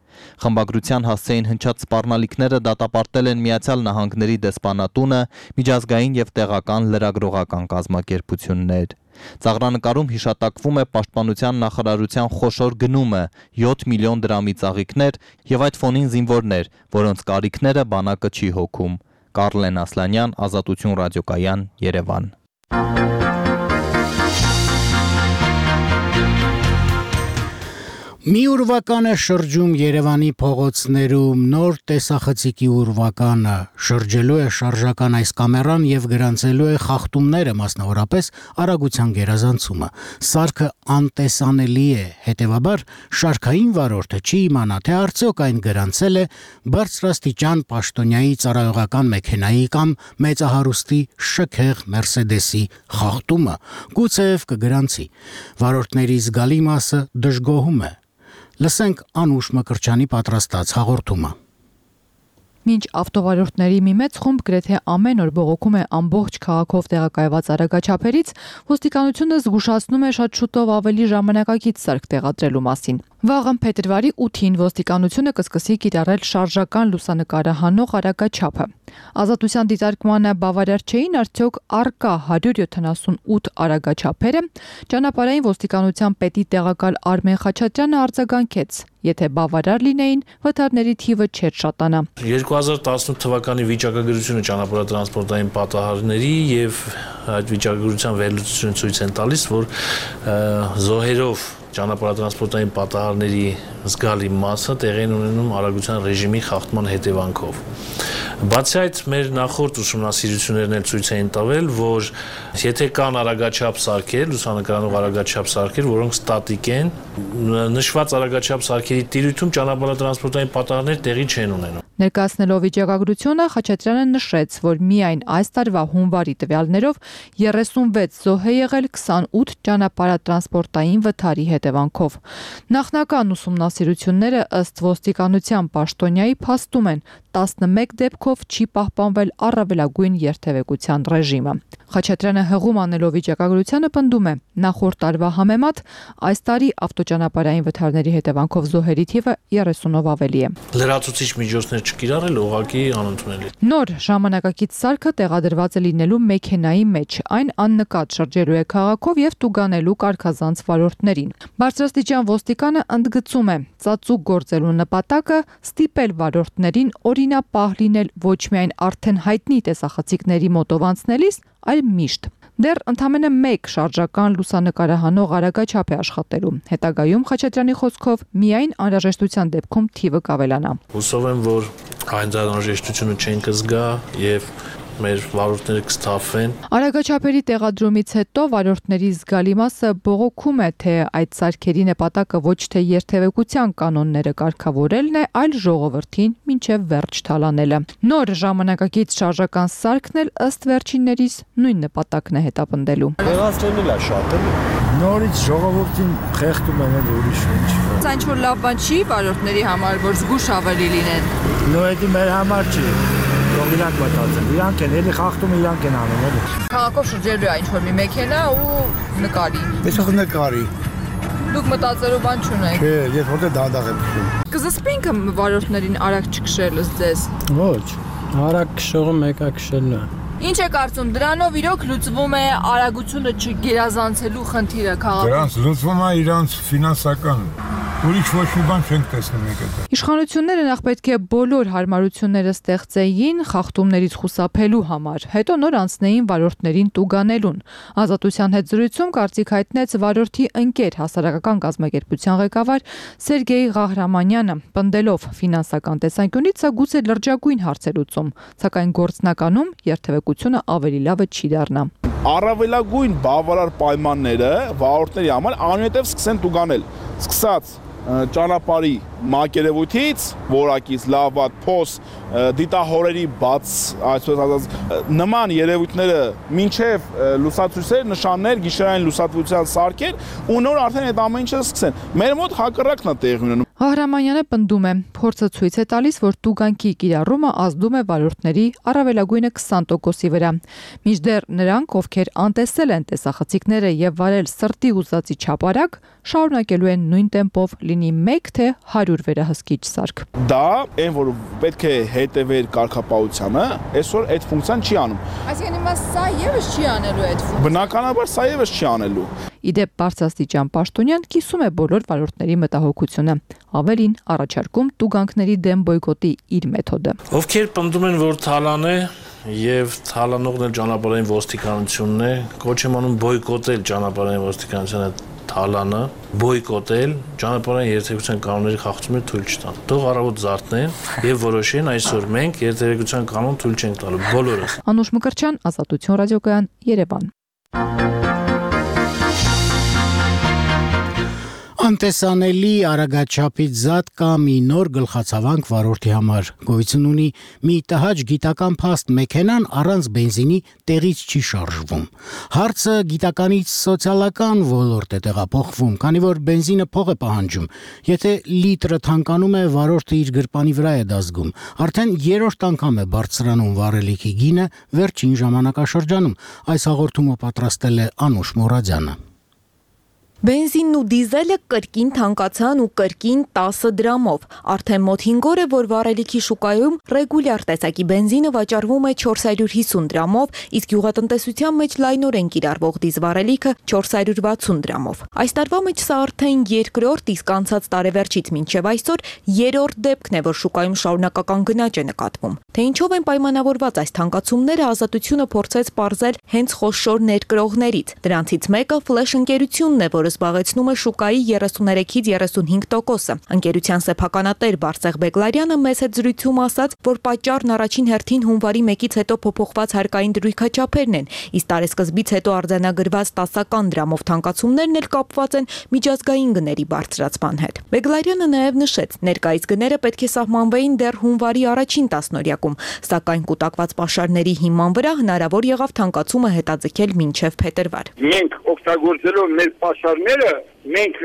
Խմբագրության հասցեին հնչած սպառնալիքները դատապարտել են Միացյալ Նահանգների դեսպանատունը, միջազգային եւ տեղական լրագրողական կազմակերպություններ։ Ծաղրանկարում հիշատակվում է Պաշտպանության նախարարության խոշոր գնումը 7 միլիոն դրամի ծաղիկներ եւ այդ ֆոնին զինվորներ, որոնց կարիքները բանակը չի հոգում։ Կարլեն Ասլանյան, Ազատություն ռադիոկայան, Երևան։ Մի ուրվական է շրջում Երևանի փողոցներում, նոր տեսախցիկի ուրվականը, շրջելու է շարժական այս կամերան եւ գրանցելու է խախտումները, մասնավորապես արագության գերազանցումը։ Սարքը անտեսանելի է, հետեւաբար շարքային վարորդը չի իմանա, թե արդյոք այն գրանցել է բարձրաստիճան պաշտոնյայի ծառայողական մեքենայի կամ մեծահարուստի շքեղ Մերսեդեսի խախտումը, գուցեև կգրանցի։ Վարորդների զգալի մասը դժգոհում է։ Լսենք Անուշ Մկրչյանի պատրաստած հաղորդումը։ Մինչ ավտովարորդների մի մեծ խումբ գրեթե ամեն օր բողոքում է ամբողջ քաղաքով տեղակայված արագաչափերից, ոստիկանությունը զգուշացնում է շատ շուտով ավելի ժամանակակից սարք տեղադրելու մասին։ Վաղը փետրվարի 8-ին ոստիկանությունը կսկսի կիրառել շարժական լուսանկարը հանող արագաչափը։ Ազատության դիտարկմանը բավարար չէին արդյոք առկա 178 արագաչափերը, ճանապարհային ոստիկանության պետի տեղակալ Արմեն Խաչատրյանը արձագանքեց. Եթե բավարար լինեին, վթարների թիվը չէր շատանա։ 2018 թվականի վիճակագրությունը ճանապարհատրանսպորտային պատահարների եւ այդ վիճակագրության վերլուծությունը ցույց են տալիս, որ զոհերով ճանապարհատրանսպորտային պատահարների զգալի մասը տեղի են ունենում արագության ռեժիմի խախտման հետևանքով։ Բացի այդ, մեր նախորդ ուսումնասիրություններն էլ ցույց էին տվել, որ եթե կան արագաչափ սարքեր, լուսանկարանող արագաչափ սարքեր, որոնք ստատիկ են, նշված արագաչափ սարքերի տիրույթում ճանապարհատրանսպորտային պատահարներ տեղի չեն ունենում։ Ներկայացնելով վիճակագրությունը, Խաչատրյանը նշեց, որ միայն այս տարվա հունվարի տվյալներով 36 զոհ է եղել 28 ճանապարհատրանսպորտային վթարի հետևանքով։ Նախնական ուսումնասիրությունները ըստ ոստիկանության պաշտոնյայի փաստում են 11 դեպքով չի պահպանվել առավելագույն երթևեկության ռեժիմը։ Խաչատրյանը հղում անելով վիճակագրությանը պնդում է, նախորդ տարվա համեմատ այս տարի ավտոճանապարհային վթարների հետևանքով զոհերի թիվը 30-ով ավելի է։ Լրացուցիչ միջոցներ չկիրառել ուղղակի անընդունել է։ Նոր ժամանակակից սարքը տեղադրված է լինելու մեքենայի մեջ, այն աննկատ շրջելու է քաղաքով եւ տուգանելու կարգազանց վարորդներին։ Բարձրաստիճան ոստիկանը ընդգծում է, ծածուկ գործելու նպատակը ստիպել վարորդներին օրինապահ լինել ոչ միայն արդեն հայտնի տեսախցիկների մոտով անցնելիս, այլ միշտ։ Դեռ ընդամենը 1 շարժական լուսանկարահանող արագաչափ է աշխատելու։ Հետագայում Խաչատրյանի խոսքով միայն անհրաժեշտության դեպքում թիվը կավելանա։ Հուսով եմ, որ այն անհրաժեշտությունը չեն կզգա եւ մեր վարորդները կստափվեն։ Արագաչափերի տեղադրումից հետո վարորդների զգալի մասը բողոքում է, թե այդ սարքերի նպատակը ոչ թե երթևեկության կանոնները կարգավորելն է, այլ ժողովրդին մինչև վերջ թալանելը։ Նոր ժամանակակից շարժական սարքն էլ ըստ վերջիններիս նույն նպատակն է հետապնդելու։ Տեղացրելն է շատ էլի։ Նորից ժողովրդին խեղդում են էլ ուրիշ ինչ։ Սա ինչ-որ լավ բան չի վարորդների համար, որ զգուշ ավելի լինեն։ Նո, դա մեր համար չի։ Իրանք մտածեն, իրանք են, էլի խախտում իրանք են անում, էլի։ Քաղաքով շրջելու է ինչ-որ մի մեքենա ու նկարի։ Այսօր նկարի։ Դուք մտածելու բան չունեք։ Չէ, ես որտե դանդաղ եմ քշում։ Կզսպինք վարորդներին արագ չքշելս ձեզ։ Ոչ, արագ քշողը մեկա քշելն է։ Ինչ է կարծում, դրանով իրոք լուծվում է արագությունը չգերազանցելու խնդիրը քաղաքում։ Դրանց լուծվում է իրանց ֆինանսական ուրիշ ոչ մի բան չենք տեսնում եկել։ Իշխանությունները նախ պետք է բոլոր հարմարությունները ստեղծեին խախտումներից խուսափելու համար, հետո նոր անցնեին վարորդներին տուգանելուն։ Ազատության հետ զրույցում կարծիք հայտնեց վարորդի ընկեր հասարակական կազմակերպության ղեկավար Սերգեյ Ղահրամանյանը, պնդելով ֆինանսական տեսանկյունից սա գուցե լրջագույն հարց է լուծում, սակայն գործնականում երթևեկությունը ավելի լավը չի դառնա։ Առավելագույն բավարար պայմանները վարորդների համար անհետև սկսեն տուգանել, սկսած ճանապարհի մակերևույթից, որակից, լավ, վատ, փոս, դիտահորերի բաց, այսպես ասած, նման երևույթները մինչև լուսացույցեր, նշաններ, գիշերային լուսատվության սարքեր ու նոր արդեն այդ ամեն ինչը սկսեն։ Մեր մոտ հակառակն է տեղի ունենում։ Ղահրամանյանը պնդում է, փորձը ցույց է տալիս, որ տուգանքի կիրառումը ազդում է վարորդների առավելագույնը 20%-ի վրա։ Մինչդեռ նրանք, ովքեր անտեսել են տեսախցիկները եւ վարել սրտի ուզածի չափարակ, շարունակելու են նույն տեմպով լինի 1 թե 100 վերահսկիչ սարք։ Դա այն, որ պետք է հետևեր կարգապահությանը, այսօր այդ ֆունկցիան չի անում։ Այսինքն հիմա սա եւս չի անելու այդ ֆունկցիան։ Բնականաբար սա եւս չի անելու։ Իդեպ բարձրաստիճան պաշտոնյան կիսում է բոլոր վարորդների մտահոգությունը, ավելին առաջարկում տուգանքների դեմ բոյկոտի իր մեթոդը։ Ովքեր պնդում են, որ թալան է եւ թալանողն էլ ճանապարհային ոստիկանությունն է, կոչ եմ անում բոյկոտել ճանապարհային ոստիկանությունը թալանը, բոյկոտել ճանապարհային երթևեկության կանոնների խախտումները թույլ չտան։ Թող առավոտ զարթնեն եւ որոշեն այսօր մենք երթևեկության կանոն թույլ չենք տալու բոլորս։ Անուշ Մկրտչյան, Ազատություն ռադիոկայան, Երևան։ Անտեսանելի արագաչափից զատ կա մի նոր գլխացավանք վարորդի համար։ Գոյություն ունի մի տհաճ գիտական փաստ մեքենան առանց բենզինի տեղից չի շարժվում։ Հարցը գիտականից սոցիալական ոլորտ է տեղափոխվում, քանի որ բենզինը փող է պահանջում։ Եթե լիտրը թանկանում է, վարորդը իր գրպանի վրա է դա զգում։ Արդեն երրորդ անգամ է բարձրանում վառելիքի գինը վերջին ժամանակաշրջանում։ Այս հաղորդումը պատրաստել է Անուշ Մուրադյանը։ Բենզինն ու դիզելը կրկին թանկացան ու կրկին 10 դրամով։ Արդեն մոտ 5 օր է, որ վառելիքի շուկայում ռեգուլյար տեսակի բենզինը վաճառվում է 450 դրամով, իսկ գյուղատնտեսության մեջ լայնորեն կիրառվող դիզվառելիքը 460 դրամով։ Այս տարվա մեջ սա արդեն երկրորդ, իսկ անցած տարեվերջից մինչև այսօր երրորդ դեպքն է, որ շուկայում շարունակական գնաճ է նկատվում։ Թե ինչով են պայմանավորված այս թանկացումները, Ազատությունը փորձեց պարզել հենց խոշոր ներկրողներից։ Դրանցից մեկը Flash ընկերությունն է, որը զբաղեցնում է շուկայի 33-ից 35%-ը։ Ընկերության սեփականատեր Բարսեղ Բեգլարյանը մեծ հետ զրույցում ասաց, որ պատճառն առաջին հերթին հունվարի 1-ից հետո փոփոխված հարկային դրույքաչափերն են, իսկ տարեսկզբից հետո արձանագրված 10 դրամով թանկացումներն էլ կապված են միջազգային գների բարձրացման հետ։ Բեգլարյանը նաև նշեց, ներկայիս գները պետք է սահմանվեին դեռ հունվարի առաջին տասնօրյակում, սակայն կուտակված պաշարների հիման վրա հնարավոր եղավ թանկացումը հետաձգել մինչև փետրվար։ Մենք օգտագործելով մեր պաշարները, մենք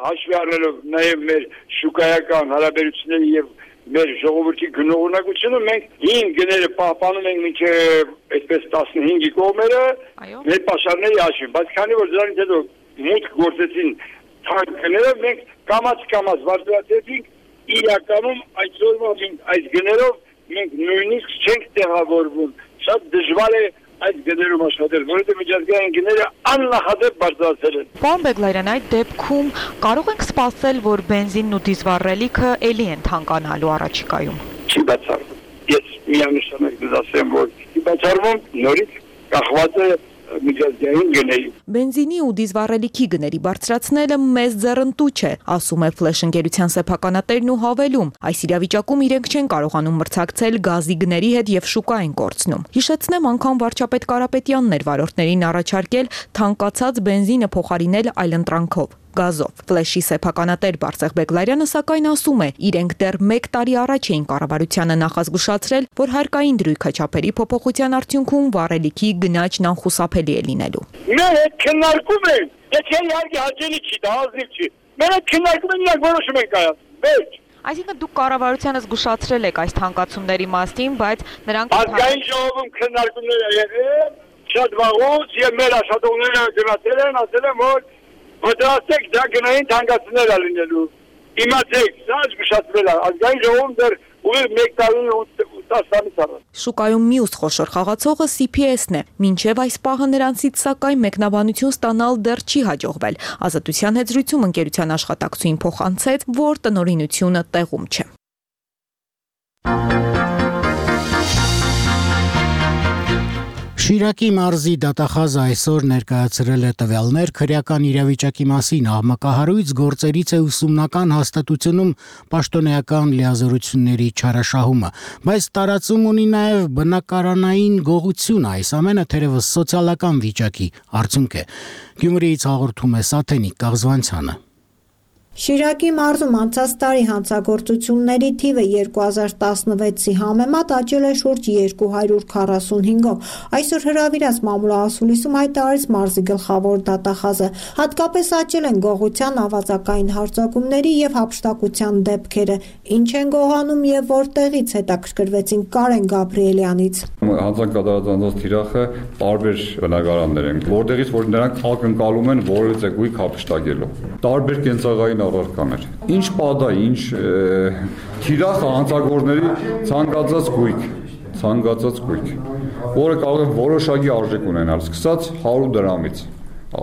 հաշվի առնելով նաև մեր շուկայական հարաբերությունները եւ մեր ժողովրդի գնողունակությունը, մենք հին գները պահպանում ենք մինչև այսպես 15-ի կողմերը մեր պաշարների հաշվին, բայց քանի որ դրանից հետո մուտք գործեցին թանկ գները, մենք կամաց վարձատրեցինք իրականում այսօրվա այս գներով մենք նույնիսկ չենք տեղավորվում։ Շատ դժվար է այդ գներում աշխատել, որովհետև միջազգային գները աննախադեպ բարձրացել են։ Պարոն Բեգլարյան, այդ դեպքում կարող ենք սպասել, որ բենզինն ու դիզվառելիքը էլի են թանկանալու առաջիկայում։ Չի բացառվում։ Ես միանշանակ դասեմ, որ չի բացառվում, նորից կախված է միջազգային գների։ Բենզինի ու դիզվառելիքի գների բարձրացնելը մեծ ձեռնտու չէ, ասում է Flash ընկերության սեփականատերն ու հավելում։ Այս իրավիճակում իրենք չեն կարողանում մրցակցել գազի գների հետ եւ շուկա են կորցնում։ Հիշեցնեմ, անգամ վարչապետ Կարապետյանն էր վարորդներին առաջարկել թանկացած բենզինը փոխարինել այլընտրանքով գազով։ Ֆլեշի սեփականատեր Բարսեղ Բեգլարյանը սակայն ասում է, իրենք դեռ 1 տարի առաջ էին կառավարությանը նախազգուշացրել, որ հարկային դրույքաչափերի փոփոխության արդյունքում վառելիքի գնաճն անխուսափելի է լինելու։ Մեր հետ քննարկում են, եթե իհարկե հաճելի չի, դա ազնիվ չի։ Մեր հետ քննարկում են, իրանք որոշում են կայացնում։ Վերջ։ Այսինքն դուք կառավարությանը զգուշացրել եք այս թանկացումների մասին, բայց նրանք ազգային ժողովում քննարկումներ եղել, շատ վաղուց եւ մեր աշխատողները գնացել են, ասել են, որ պատրաստեք դա գնային թանկացումներ լինելու։ Իմացեք, սա զգուշացվել է, ազգային ժողովում դեռ ուղիղ 1 տարի 10 ամիս առաջ։ Շուկայում մյուս խոշոր խաղացողը CPS-ն է։ Մինչև այս պահը նրանցից սակայն մեկնաբանություն ստանալ դեռ չի հաջողվել։ Ազատության հետ զրույցում ընկերության աշխատակցուհին փոխանցեց, որ տնօրինությունը տեղում չէ։ Շիրակի մարզի դատախազը այսօր ներկայացրել է տվյալներ քրեական իրավիճակի մասին աղմկահարույց գործերից է ուսումնական հաստատությունում պաշտոնեական լիազորությունների չարաշահումը, բայց տարածում ունի նաև բնակարանային գողություն, այս ամենը թերևս սոցիալական վիճակի արդյունք է։ Գյումրիից հաղորդում է Սաթենիկ Կաղզվանցյանը։ Շիրակի մարզում անցած տարի հանցագործությունների թիվը 2016-ի համեմատ աճել է շուրջ 245-ով։ Այսօր հրավիրած մամուլահասուլիսում հայտարարեց մարզի գլխավոր դատախազը։ Հատկապես աճել են գողության, ավազակային հարձակումների եւ հափշտակության դեպքերը։ Ինչ են գողանում եւ որտեղից, հետաքրքրվեցին Կարեն Գաբրիելյանից։ Հանցանք կատարած թիրախը տարբեր բնակարաններ են, որտեղից որ նրանք ակնկալում են որևէ գույք հափշտակելու։ Տարբեր կենցաղային առարկաներ։ Ինչ պադա, ինչ թիրախը հանցագործների ցանկացած գույք, որը կարող է որոշակի արժեք ունենալ, սկսած 100 դրամից,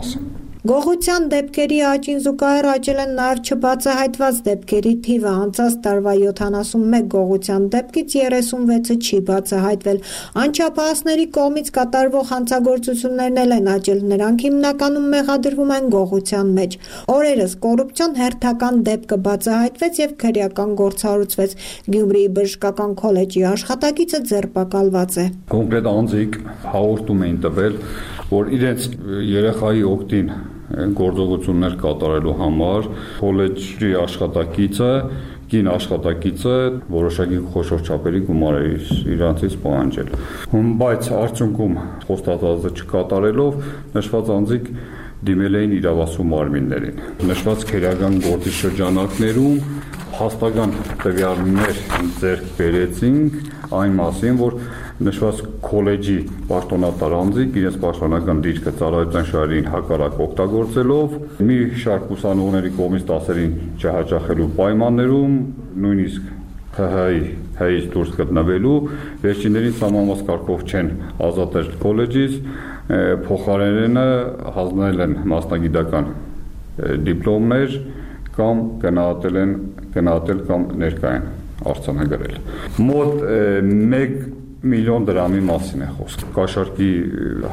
ասեմ։ Գողության դեպքերի աճին զուգահեռ աճել են նաև չբացահայտված դեպքերի թիվը, անցած տարվա 71 գողության դեպքից 36-ը չի բացահայտվել։ Անչափահասների կողմից կատարվող հանցագործություններն էլ են աճել, նրանք հիմնականում մեղադրվում են գողության մեջ։ Օրերս կոռուպցիոն հերթական դեպքը բացահայտվեց եւ քրեական գործառույթվեց։ Գյումրիի բժշկական քոլեջի աշխատակիցը ձերբակալված է։ Կոնկրետ անձիկ հաղորդում էին տվել, որ իրենց երեխայի օգտին գործողություններ կատարելու համար քոլեջի աշխատակիցը, կին աշխատակիցը որոշակի խոշոր չափերի գումար է իրանցից պահանջել։ Բայց արդյունքում խոստացածը չկատարելով նշված անձիկ դիմել էին իրավասու մարմիններին։ Նշված քրեական գործի շրջանակներում հաստական տվյալներ ձեռք բերեցինք այն մասին, որ նշված քոլեջի պաշտոնատար անձիկ իրենց պաշտոնական դիրքը ծառայության շահերին հակառակ օգտագործելով մի շարք ուսանողների կողմից դասերին չհաճախելու պայմաններում նույնիսկ ՀՀ-ից դուրս գտնվելու վերջիններին սահմանված կարգով չեն ազատել քոլեջից, փոխարենը հանձնել են մասնագիտական դիպլոմներ կամ գնահատել կամ ներկա են արձանագրել։ Մոտ 1 միլիոն դրամի մասին է խոսքը։ Կաշառքի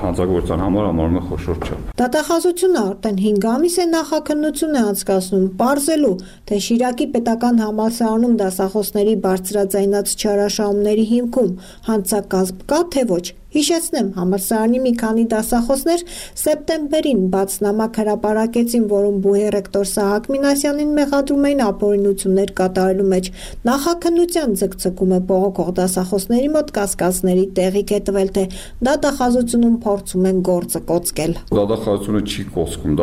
հանցագործության համար համարում է խոշոր չափ։ Դատախազությունը արդեն 5 ամիս է նախաքննություն է անցկացնում, պարզելու, թե Շիրակի պետական համալսարանում դասախոսների բարձրաձայնած չարաշահումների հիմքում հանցակազմ կա, թե ոչ։ Հիշեցնեմ, համալսարանի մի քանի դասախոսներ սեպտեմբերին բաց նամակ հրապարակեցին, որում բուհի ռեկտոր Սահակ Մինասյանին մեղադրում էին ապօրինություններ կատարելու մեջ։ Նախաքննության ձգձգումը բողոքող դասախոսների մոտ կասկածների տեղիք է տվել, թե դատախազությունում փորձում են գործը կոծկել։ Դատախազությունը չի կոծկում,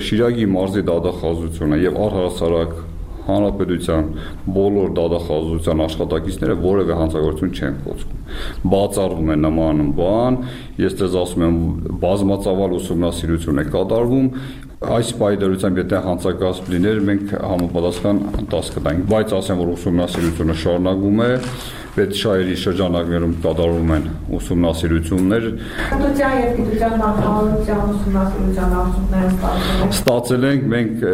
Շիրակի մարզի դատախազությունը եւ առհասարակ Հանրապետության բոլոր դատախազության աշխատակիցները որևէ հանցագործություն չեն կոծկում։ Բացառվում է նման բան, ես ձեզ ասում եմ, բազմածավալ ուսումնասիրություն է կատարվում, այս պայմանությամբ եթե հանցակազմ լիներ, մենք համապատասխան 10 կտանք, բայց ասեմ, որ ուսումնասիրությունը շարունակվում է, պետշահերի շրջանակներում կատարվում են ուսումնասիրություններ։ Պետության եւ գիտության նախարարության ուսումնասիրության արդյունքները ստացել ենք, մենք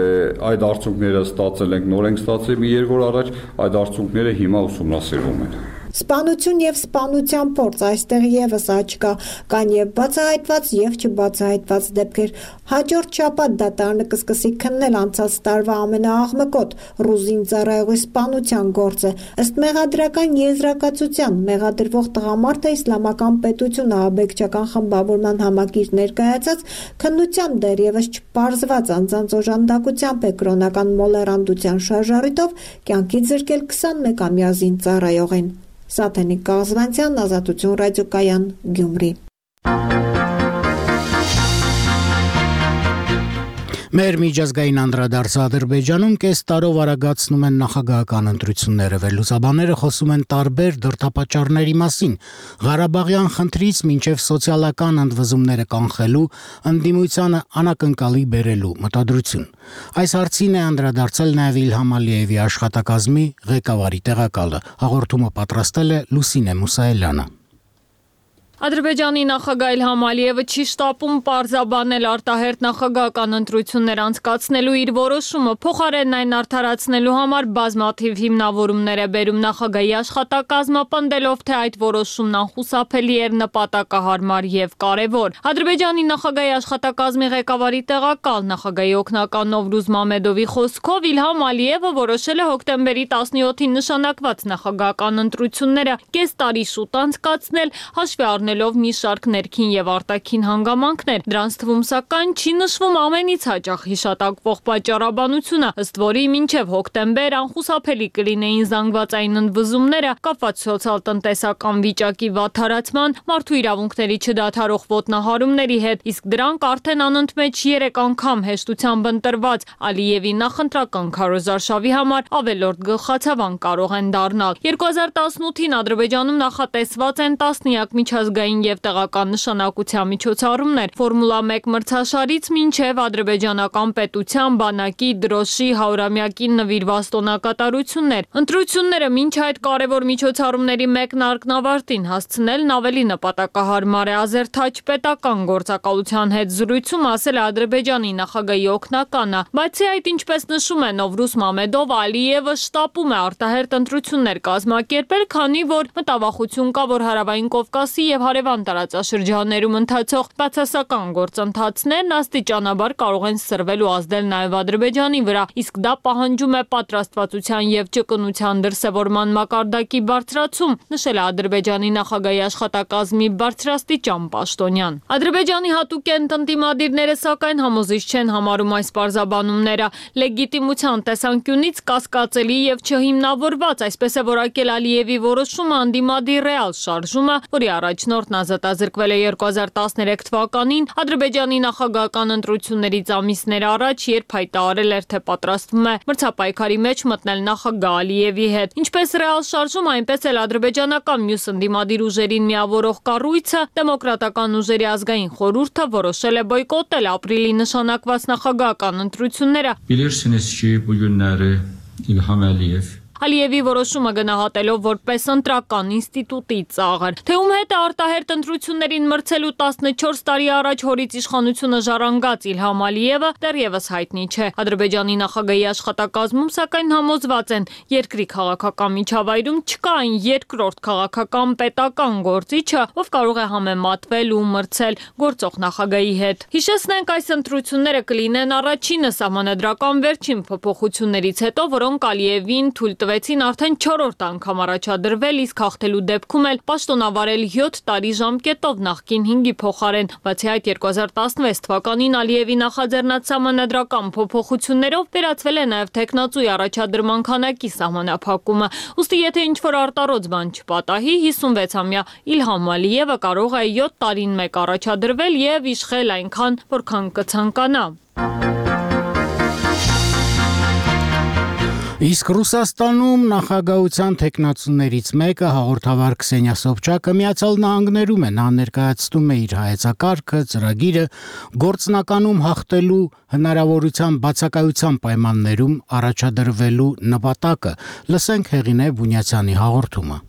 այդ արդյունքները ստացել ենք, նոր ենք ստացել մի 2 օր առաջ, այդ արդյունքները հիմա ուսումնասիրվում են։ Սպանություն եւ սպանության փորձ, այստեղ եւս աճ կա, կան եւ բացահայտված եւ չբացահայտված դեպքեր։ Հաջորդ շաբաթ դատարանը կսկսի քննել անցած տարվա ամենաաղմկոտ ռուզին ծառայողի սպանության գործը։ Ըստ մեղադրական եզրակացության մեղադրվող տղամարդը իսլամական պետություն ահաբեկչական խմբավորման համակիր ներկայացած քննությամբ դեռևս չպարզված անձանց օժանդակությամբ է կրոնական մոլեռանդության շարժառիթով կյանքից զրկել 21-ամյա զին ծառայողին։ Սաթենիկ Կաղզվանցյան, Ազատություն ռադիոկայան, Գյումրի։ Մեր միջազգային անդրադարձը Ադրբեջանում կես տարով արագացնում են նախագահական ընտրությունները, վերլուծաբանները խոսում են տարբեր դրդապատճառների մասին, Ղարաբաղյան խնդրից մինչև սոցիալական ընդվզումները կանխելու, ընդդիմությանը անակնկալի բերելու մտադրություն։ Այս հարցին է անդրադարձել նաև Իլհամ Ալիևի աշխատակազմի ղեկավարի տեղակալը, հաղորդումը պատրաստել է Լուսինե Մուսայելյանը։ Ադրբեջանի նախագահ Իլհամ Ալիևը չի շտապում պարզաբանել արտահերթ նախագահական ընտրություններ անցկացնելու իր որոշումը, փոխարենն այն արդարացնելու համար բազմաթիվ հիմնավորումներ է բերում նախագահի աշխատակազմը, պնդելով, թե այդ որոշումն անխուսափելի էր, նպատակահարմար եւ կարեւոր։ Ադրբեջանի նախագահի աշխատակազմի ղեկավարի տեղակալ նախագահի օգնական Նովրուզ Մամեդովի խոսքով Իլհամ Ալիևը որոշել է հոկտեմբերի 17-ին նշանակված նախագահական ընտրությունները կես տարի շուտ անցկացնել, հաշվի առնելով մի շարք ներքին եւ արտաքին հանգամանքներ, դրանց թվում սակայն չի նշվում ամենից հաճախ հիշատակվող պատճառաբանությունը, ըստ որի մինչև հոկտեմբեր անխուսափելի կլինեին զանգվածային ընդվզումները կապված սոցիալ-տնտեսական վիճակի վատթարացման, մարդու իրավունքների չդադարող ոտնահարումների հետ, իսկ դրանք արդեն անընդմեջ 3 անգամ հեշտությամբ ընտրված Ալիևի նախընտրական քարոզարշավի համար ավելորդ գլխացավան կարող են դառնալ։ 2018-ին Ադրբեջանում նախատեսված են տասնյակ միջազգային եւ տեղական նշանակության միջոցառումներ, Ֆորմուլա 1 մրցաշարից մինչև ադրբեջանական պետության բանակի դրոշի 100-ամյակին նվիրված տոնակատարություններ։ Ընտրությունները մինչ այդ կարևոր միջոցառումների մեկնարկն ավարտին հասցնելն ավելի նպատակահարմար է, Ազերթաջ պետական գործակալության հետ զրույցում ասել է Ադրբեջանի նախագահի օգնականը, բացի այդ, ինչպես նշում է Նովրուզ Մամեդով, Ալիևը շտապում է արտահերթ ընտրություններ կազմակերպել, քանի որ մտավախություն կա, որ Հարավային Կովկասի եւ հարևան տարածաշրջաններում ընթացող բացասական գործընթացներն աստիճանաբար կարող են սրվել ու ազդել նաև Ադրբեջանի վրա, իսկ դա պահանջում է պատրաստվածության եւ ճկունության դրսեւորման մակարդակի բարձրացում, նշել է Ադրբեջանի նախագահի աշխատակազմի բարձրաստիճան պաշտոնյան։ Ադրբեջանի հատուկենտ ընդդիմադիրները սակայն համոզիչ չեն համարում այս պարզաբանումները, լեգիտիմության տեսանկյունից կասկածելի եւ չհիմնավորված, այսպես է որակել Ալիևի որոշումը անդիմադիր ռեալ շարժումը, որի առաջնորդն ազատազրկվել է 2013 թվականին Ադրբեջանի նախագահական ընտրություններից ամիսներ առաջ, երբ հայտարարել էր, թե պատրաստվում է մրցապայքարի մեջ մտնել նախագահ Ալիևի հետ։ Ինչպես ռեալ շարժում, այնպես էլ ադրբեջանական մյուս ընդդիմադիր ուժերին միավորող կառույցը Դեմոկրատական ուժերի ազգային խորհուրդը որոշել է բոյկոտել ապրիլի նշանակված նախագահական ընտրությունները։ Bilirsiniz ki, bu günləri İlham Əliyev Ալիևի որոշումը գնահատելով որպես ընտրական ինստիտուտի ծաղր, թե ում հետ է արտահերթ ընտրություններին մրցելու 14 տարի առաջ հորից իշխանությունը ժառանգած Իլհամ Ալիևը դեռևս հայտնի չէ։ Ադրբեջանի նախագահի աշխատակազմում սակայն համոզված են, երկրի քաղաքական միջավայրում չկա այն երկրորդ քաղաքական պետական գործիչը, ով կարող է համեմատվել ու մրցել գործող նախագահի հետ։ Հիշեցնենք, այս ընտրությունները կլինեն առաջինը սահմանադրական վերջին փոփոխություններից հետո, որոնք Ալիևին թույլ տվեցին արդեն 4-րդ անգամ առաջադրվել, իսկ հաղթելու դեպքում էլ պաշտոնավարել 7 տարի ժամկետով նախկին 5-ի փոխարեն։ Բացի այդ, 2016 թվականին Ալիևի նախաձեռնած սահմանադրական փոփոխություններով վերացվել է նաև տեխնացուի առաջադրման քանակի սահմանափակումը։ Ուստի եթե ինչ-որ արտարոց բան չպատահի, 56-ամյա Իլհամ Ալիևը կարող է 7 տարին մեկ առաջադրվել եւ իշխել այնքան, որքան կցանկանա։ Իսկ Ռուսաստանում նախագահության տեխնացուներից մեկը հաղորդավար Քսենիա Սոբչակը Միացյալ Նահանգներում է, նա ներկայացնում է իր հայեցակարգը, ծրագիրը գործնականում հաղթելու հնարավորության բացակայության պայմաններում առաջադրվելու նպատակը։ Լսենք Հեղինե Բունյացյանի հաղորդումը։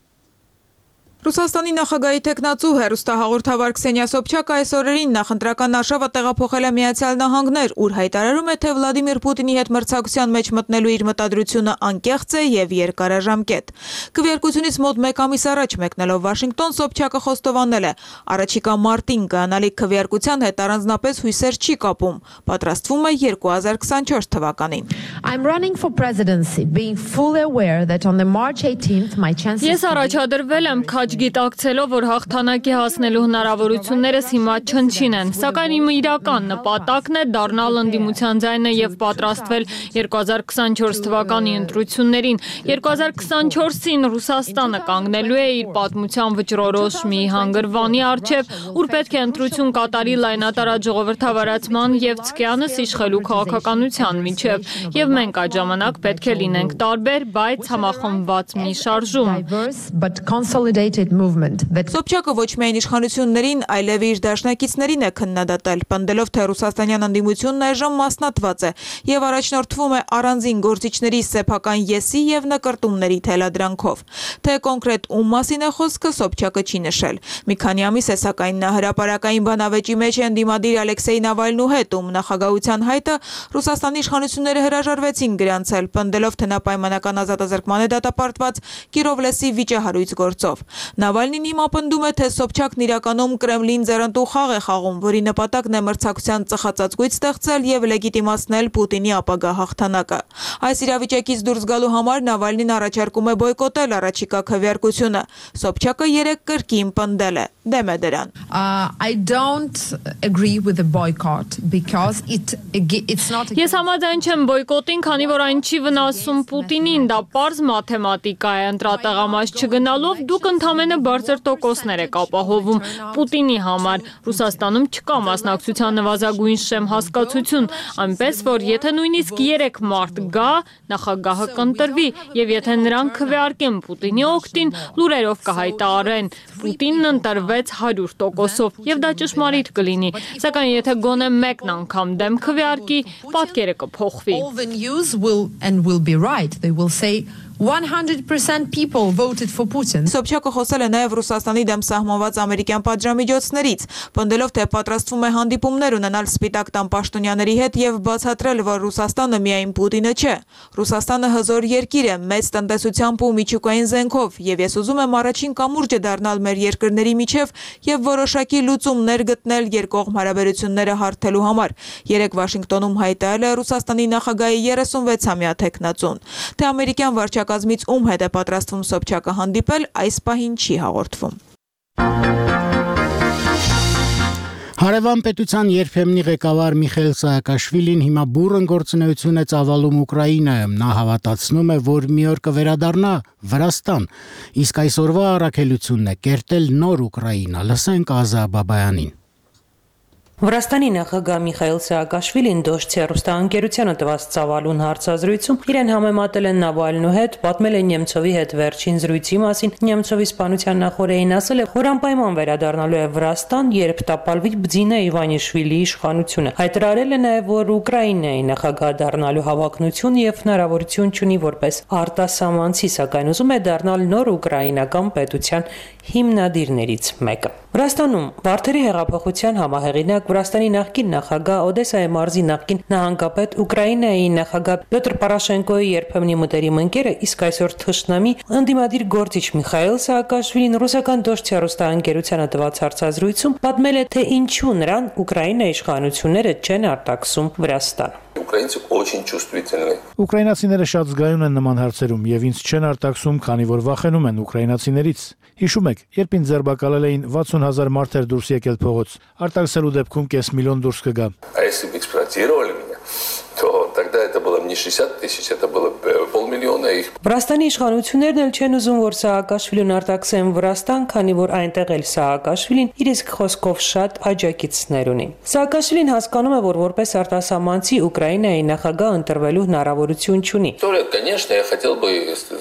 Ռուսաստանի նախագահի տեխնացու հեռուստահաղորդավար Քսենիա Սոբչակը այս օրերին նախընտրական արշավը տեղափոխել է Միացյալ Նահանգներ, ուր հայտարարում է, թե Վլադիմիր Պուտինի հետ մրցակցության մեջ մտնելու իր մտադրությունը անկեղծ է եւ երկարաժամկետ։ Քվեարկությունից մոտ 1 ամիս առաջ մեկնելով Վաշինգտոն, Սոբչակը խոստովանել է, առաջիկա մարտին գանալիք քվեարկության հետ առանձնապես հույսեր չի կապում, պատրաստվում է 2024 թվականին։ I'm running for presidency, being fully aware that on the March 18th my chances Ես առաջադրվել եմ առաջ գիտակցելով, որ հաղթանակի հասնելու հնարավորություններս հիմա չնչին են, սակայն իմ իրական նպատակն է դառնալ ընդդիմության ձայնը եւ պատրաստվել 2024 թվականի ընտրություններին։ 2024-ին Ռուսաստանը կանգնելու է իր պատմության վճռորոշ մի հանգրվանի առջև, ուր պետք է ընտրություն կատարի լայնատարած ժողովրդավարացման եւ ցկյանս իշխելու քաղաքականության միջև, եւ մենք այդ ժամանակ պետք է լինենք տարբեր, բայց համախմբված մի շարժում։ Սոբչակը ոչ միայն իշխանություններին, այլև իր դաշնակիցներին է քննադատել, պնդելով, թե ռուսաստանյան ընդդիմությունն այժմ մասնատված է եւ առաջնորդվում է առանձին գործիչների սեփական եսի եւ նկրտումների թելադրանքով։ Թե կոնկրետ ում մասին է խոսքը, Սոբչակը չի նշել։ Մի քանի ամիս է, սակայն նա հրապարակային բանավեճի մեջ է ընդդիմադիր Ալեքսեյ Նավալնու հետ, ում նախագահության հայտը Ռուսաստանի իշխանությունները հրաժարվեցին գրանցել, պնդելով, թե նա պայմանական ազատազրկման է դատապարտված Կիրովլեսի վիճահարույց գործով։ Նավալնին հիմա պնդում է, թե Սոբչակն իրականում Կրեմլին ձեռնտու խաղ է խաղում, որի նպատակն է մրցակցության ծխածածկույց ստեղծել եւ լեգիտիմացնել Պուտինի ապագա հաղթանակը։ Այս իրավիճակից դուրս գալու համար Նավալնին առաջարկում է բոյկոտել առաջիկա քվեարկությունը։ Սոբչակը 3 կրկին պնդել է, դեմ է դրան։ I don't agree with the boycott because it's not. Ես համաձայն չեմ բոյկոտին, քանի որ այն չի վնասում Պուտինին, դա պարզ մաթեմատիկա է, ընտրատեղամաս չգնալով դուք ընդամենը բարձր տոկոսներ եք ապահովում Պուտինի համար։ Ռուսաստանում չկա մասնակցության նվազագույն շեմ հասկացություն, այնպես որ եթե նույնիսկ 3 մարդ գա, նախագահը կընտրվի, եւ եթե նրանք քվեարկեն Պուտինի օգտին, լուրերով կհայտարարեն Պուտինն ընտրվեց 100%-ով, եւ դա ճշմարիտ կլինի, սակայն եթե գոնե մեկն անգամ դեմ քվեարկի, պատկերը կփոխվի։ All the news will be right. They will say 100% people voted for Putin. Սոբչակը խոսել է նաև Ռուսաստանի դեմ սահմանված ամերիկյան պատժամիջոցներից, պնդելով, թե պատրաստվում է հանդիպումներ ունենալ Սպիտակ տան պաշտոնյաների հետ եւ բացատրել, որ Ռուսաստանը միայն Պուտինը չէ։ Ռուսաստանը հզոր երկիր է, մեծ տնտեսությամբ ու միջուկային զենքով, եւ ես ուզում եմ առաջին կամուրջը դառնալ մեր երկրների միջև եւ որոշակի լուծումներ գտնել երկկողմ հարաբերությունները հարթելու համար։ Երեկ Վաշինգտոնում հայտարարել է Ռուսաստանի նախագահի 36-ամյա թեկնածուն, թե ամերիկյան վարչակազմից ում հետ է պատրաստվում Սոբչակը հանդիպել, այս պահին չի հաղորդվում։ Հարևան պետության երբեմնի ղեկավար Միխայիլ Սահակաշվիլին հիմա բուռն գործունեություն է ծավալում Ուկրաինայում։ Նա հավատացնում է, որ մի օր կվերադառնա Վրաստան, իսկ այսօրվա առաքելությունն է կերտել նոր Ուկրաինա։ Լսենք Ազա Բաբայանին։ Վրաստանի նախագահ Միխայիլ Սահակաշվիլին Դոշցի հեռուստաընկերությանը տված ծավալուն հարցազրույցում իրեն համեմատել են Նավալնու հետ, պատմել է Նեմցովի հետ վերջին զրույցի մասին, Նեմցովի սպանության նախորդին ասել է, որ անպայման վերադառնալու է Վրաստան, երբ տապալվի Բձինա Իվանիշվիլիի իշխանությունը։ Հայտարարել է նաև, որ Ուկրաինայի նախագահ դառնալու հավակնություն եւ հնարավորություն ունի որպես արտասահմանցի, սակայն ուզում է դառնալ նոր ուկրաինական պետության հիմնադիրներից մեկը։ Վրաստանում Վարդերի հեղափոխության համահեղինակ Վրաստանի նախկին նախագահ Օդեսայի մարզի նախկին նահանգապետ Ուկրաինայի նախագահ Պյոտր Պորոշենկոյի երբեմնի մտերիմ ընկերը, իսկ այսօր թշնամի ընդդիմադիր գործիչ Միխայիլ Սահակաշվիլին ռուսական Դոշցի հեռուստաընկերությանը տված հարցազրույցում պատմել է, թե ինչու նրան Ուկրաինայի իշխանությունները չեն արտաքսում Վրաստան։ Украинцы очень чувствительны. Ուկրաինացիները շատ զգայուն են նման հարցերում եւ ինձ չեն արտաքսում, քանի որ վախենում են ուկրաինացիներից։ Հիշում եք, երբ ինձ ձերբակալել էին 60,000 մարդեր դուրս եկել փողոց, արտաքսելու դեպքում կես միլիոն դուրս կգա։ А если бы эксплуатировали меня, то тогда это было не 60 тысяч, это было 500,000 их. Վրաստանի իշխանություններն էլ չեն ուզում, որ Սահակաշվիլին արտաքսեն Վրաստան, քանի որ այնտեղ էլ Սահակաշվիլին իր իսկ խոսքով շատ աջակիցներ ունի։ Սահակաշվիլին հասկանում է, որ որպես արտասահմանցի Ուկրաինայի նախագահ ընտրվելու հնարավորություն չունի։ История, конечно, я хотел бы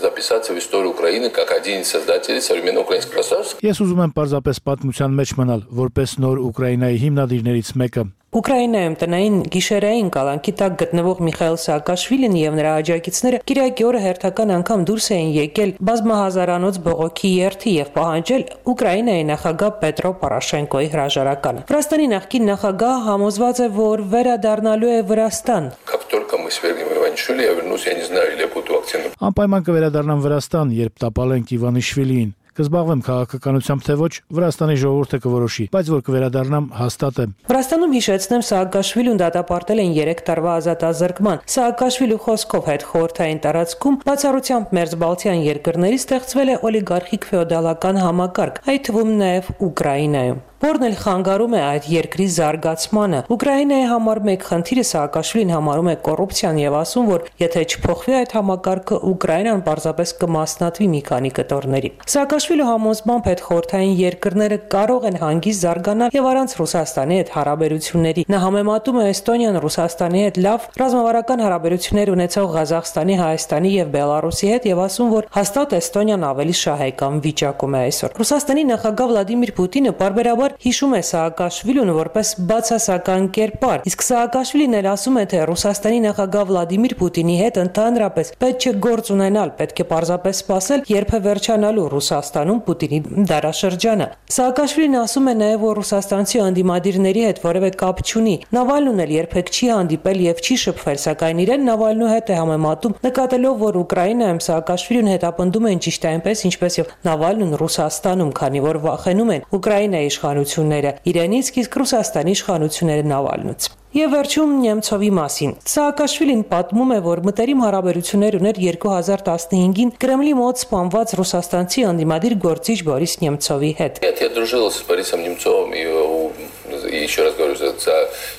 записаться в историю Украины как один из создателей современного украинского государства. Ես ուզում եմ պարզապես պատմության մեջ մնալ, որպես նոր Ուկրաինայի հիմնադիրներից մեկը։ Ուկրաինայում տնային գիշերային կալանքի տակ գտնվող Միխայիլ Սահակաշվիլին եւ նրա աջակիցները Կիրակի օրը հերթական անգամ դուրս էին եկել բազմահազարանոց բողոքի երթի եւ պահանջել Ուկրաինայի նախագահ Պետրո Պորոշենկոյի հրաժարականը։ Վրաստանի նախկին նախագահ համոզված է, որ վերադառնալու է Վրաստան։ Как только мы свергнем Иванишвили, я вернусь, я не знаю, или я буду активным. Անպայման կվերադառնամ Վրաստան, երբ տապալենք Իվանիշվիլիին։ Կզբաղվեմ քաղաքականությամբ թե ոչ, Վրաստանի ժողովուրդը կորոշի, բայց որ կվերադառնամ հաստատ է։ Վրաստանում հիշեցնեմ Սաակաշվիլուն դատապարտել են 3 տարվա ազատազրկման։ Սաակաշվիլու խոսքով հետ խորհրդային տարածքում բացառությամբ մերձբալթյան երկրների ստեղծվել է օլիգարխիկ ֆեոդալական համակարգ, այդ թվում նաև Ուկրաինայում։ Որն էլ խանգարում է այդ երկրի զարգացմանը։ Ուկրաինայի համար մեկ խնդիրը Սաակաշվիլին համարում է կոռուպցիան եւ ասում, որ եթե չփոխվի այդ համակարգը, Ուկրաինան պարզապես կմասնատվի մի քանի կտորների։ Սաակաշվիլու համոզմամբ այդ խորհրդային երկրները կարող են հանգիստ զարգանալ եւ առանց Ռուսաստանի հետ հարաբերությունների։ Նա համեմատում է Էստոնիան Ռուսաստանի հետ լավ ռազմավարական հարաբերություններ ունեցող Ղազախստանի, Հայաստանի եւ Բելարուսի հետ եւ ասում, որ հաստատ Էստոնիան ավելի շահեկան վիճակում է այսօր։ Ռուսաստանի նախագահ Վլադիմիր Պուտինը բարբերաբար հիշում է Սաակաշվիլուն որպես բացասական կերպար, իսկ Սաակաշվիլին էլ ասում է, թե Ռուսաստանի նախագահ Վլադիմիր Պուտինի հետ ընդհանրապես պետք չէ գործ ունենալ, պետք է պարզապես սպասել, երբ է վերջանալու Ռուսաստանում Պուտինի դարաշրջանը։ Սաակաշվիլին ասում է նաև, որ ռուսաստանցի անդիմադիրների հետ որևէ կապ չունի։ Նավալնուն էլ երբեք չի հանդիպել եւ չի շփվել, սակայն իրեն Նավալնու հետ է համեմատում, նկատելով, որ Ուկրաինայում Սաակաշվիլին հետապնդում են ճիշտ այնպես, ինչպես եւ Նավալնուն Ռուսաստանում, քանի որ վախենում են Ուկրաինայի իշխանությունները իրենից, իսկ Ռուսաստանի իշխանությունները Նավալնուց։ Եվ վերջում Նեմցովի մասին։ Սաակաշվիլին պատմում է, որ մտերիմ հարաբերություններ ուներ 2015-ին Կրեմլի մոտ սպանված ռուսաստանցի անդիմադիր գործիչ Բորիս Նեմցովի հետ։ Я дружил с Борисом Немцовым, и еще раз говорю, за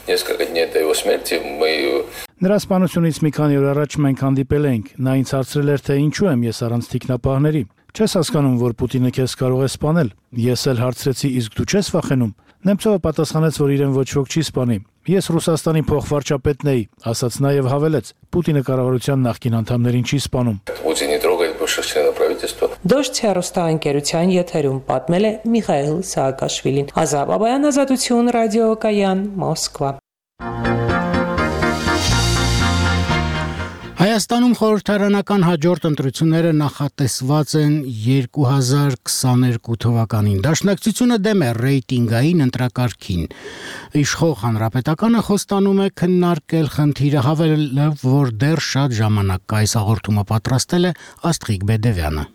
несколько дней до его смерти мы... Նրա սպանությունից մի քանի օր առաջ մենք հանդիպել էինք։ Նա ինձ հարցրել էր, թե ինչու եմ ես առանց թիկնապահների։ Չես հասկանում, որ Պուտինը քեզ կարող է սպանել։ Ես էլ հարցրեցի, իսկ դու չես վախենում։ Նեմցովը պատասխանեց, որ իրեն ոչ ոք չի սպանի։ Ես Ռուսաստանի փոխվարչապետն էի, ասաց նաև հավելեց. Պուտինը կառավարության նախկին անդամներին չի սպանում։ Путин не трогает бывших членов правительства. Դոշ հեռուստաընկերության եթերում պատմել է Միխայել Սաակաշվիլին։ Ազատ Բաբայան, Ազատություն, ռադիոկայան, Մոսկվա։ Հայաստանում խորհրդարանական հաջորդ ընտրությունները նախատեսված են 2022 թվականին։ Դաշնակցությունը դեմ է ռեյտինգային ընտրակարգին։ Իշխող Հանրապետականը խոստանում է քննարկել խնդիրը, հավելելով, որ դեռ շատ ժամանակ կա։ Այս հաղորդումը պատրաստել է Աստղիկ Բեդևյանը։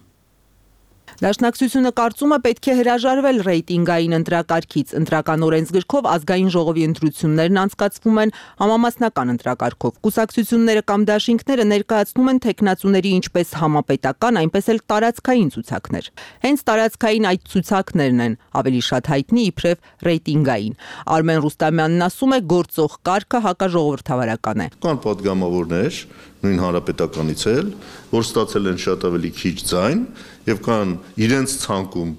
Դաշնակցությունը կարծում է պետք է հրաժարվել ռեյտինգային ընտրակարգից։ Ընտրական օրենսգրքով ազգային ժողովի ընտրություններն անցկացվում են համամասնական ընտրակարգով։ Կուսակցությունները կամ դաշինքները ներկայացնում են թեկնածուների ինչպես համապետական, այնպես էլ տարածքային ցուցակներ։ Հենց տարածքային այդ ցուցակներն են ավելի շատ հայտնի իբրև ռեյտինգային։ Արմեն Ռուստամյանն ասում է, գործող կարգը հակաժողովրդավարական է։ Կան պատգամավորներ, նույն հանրապետականից էլ, որ ստացել են շատ ավելի քիչ ձայն, եւ կան իրենց ցանկում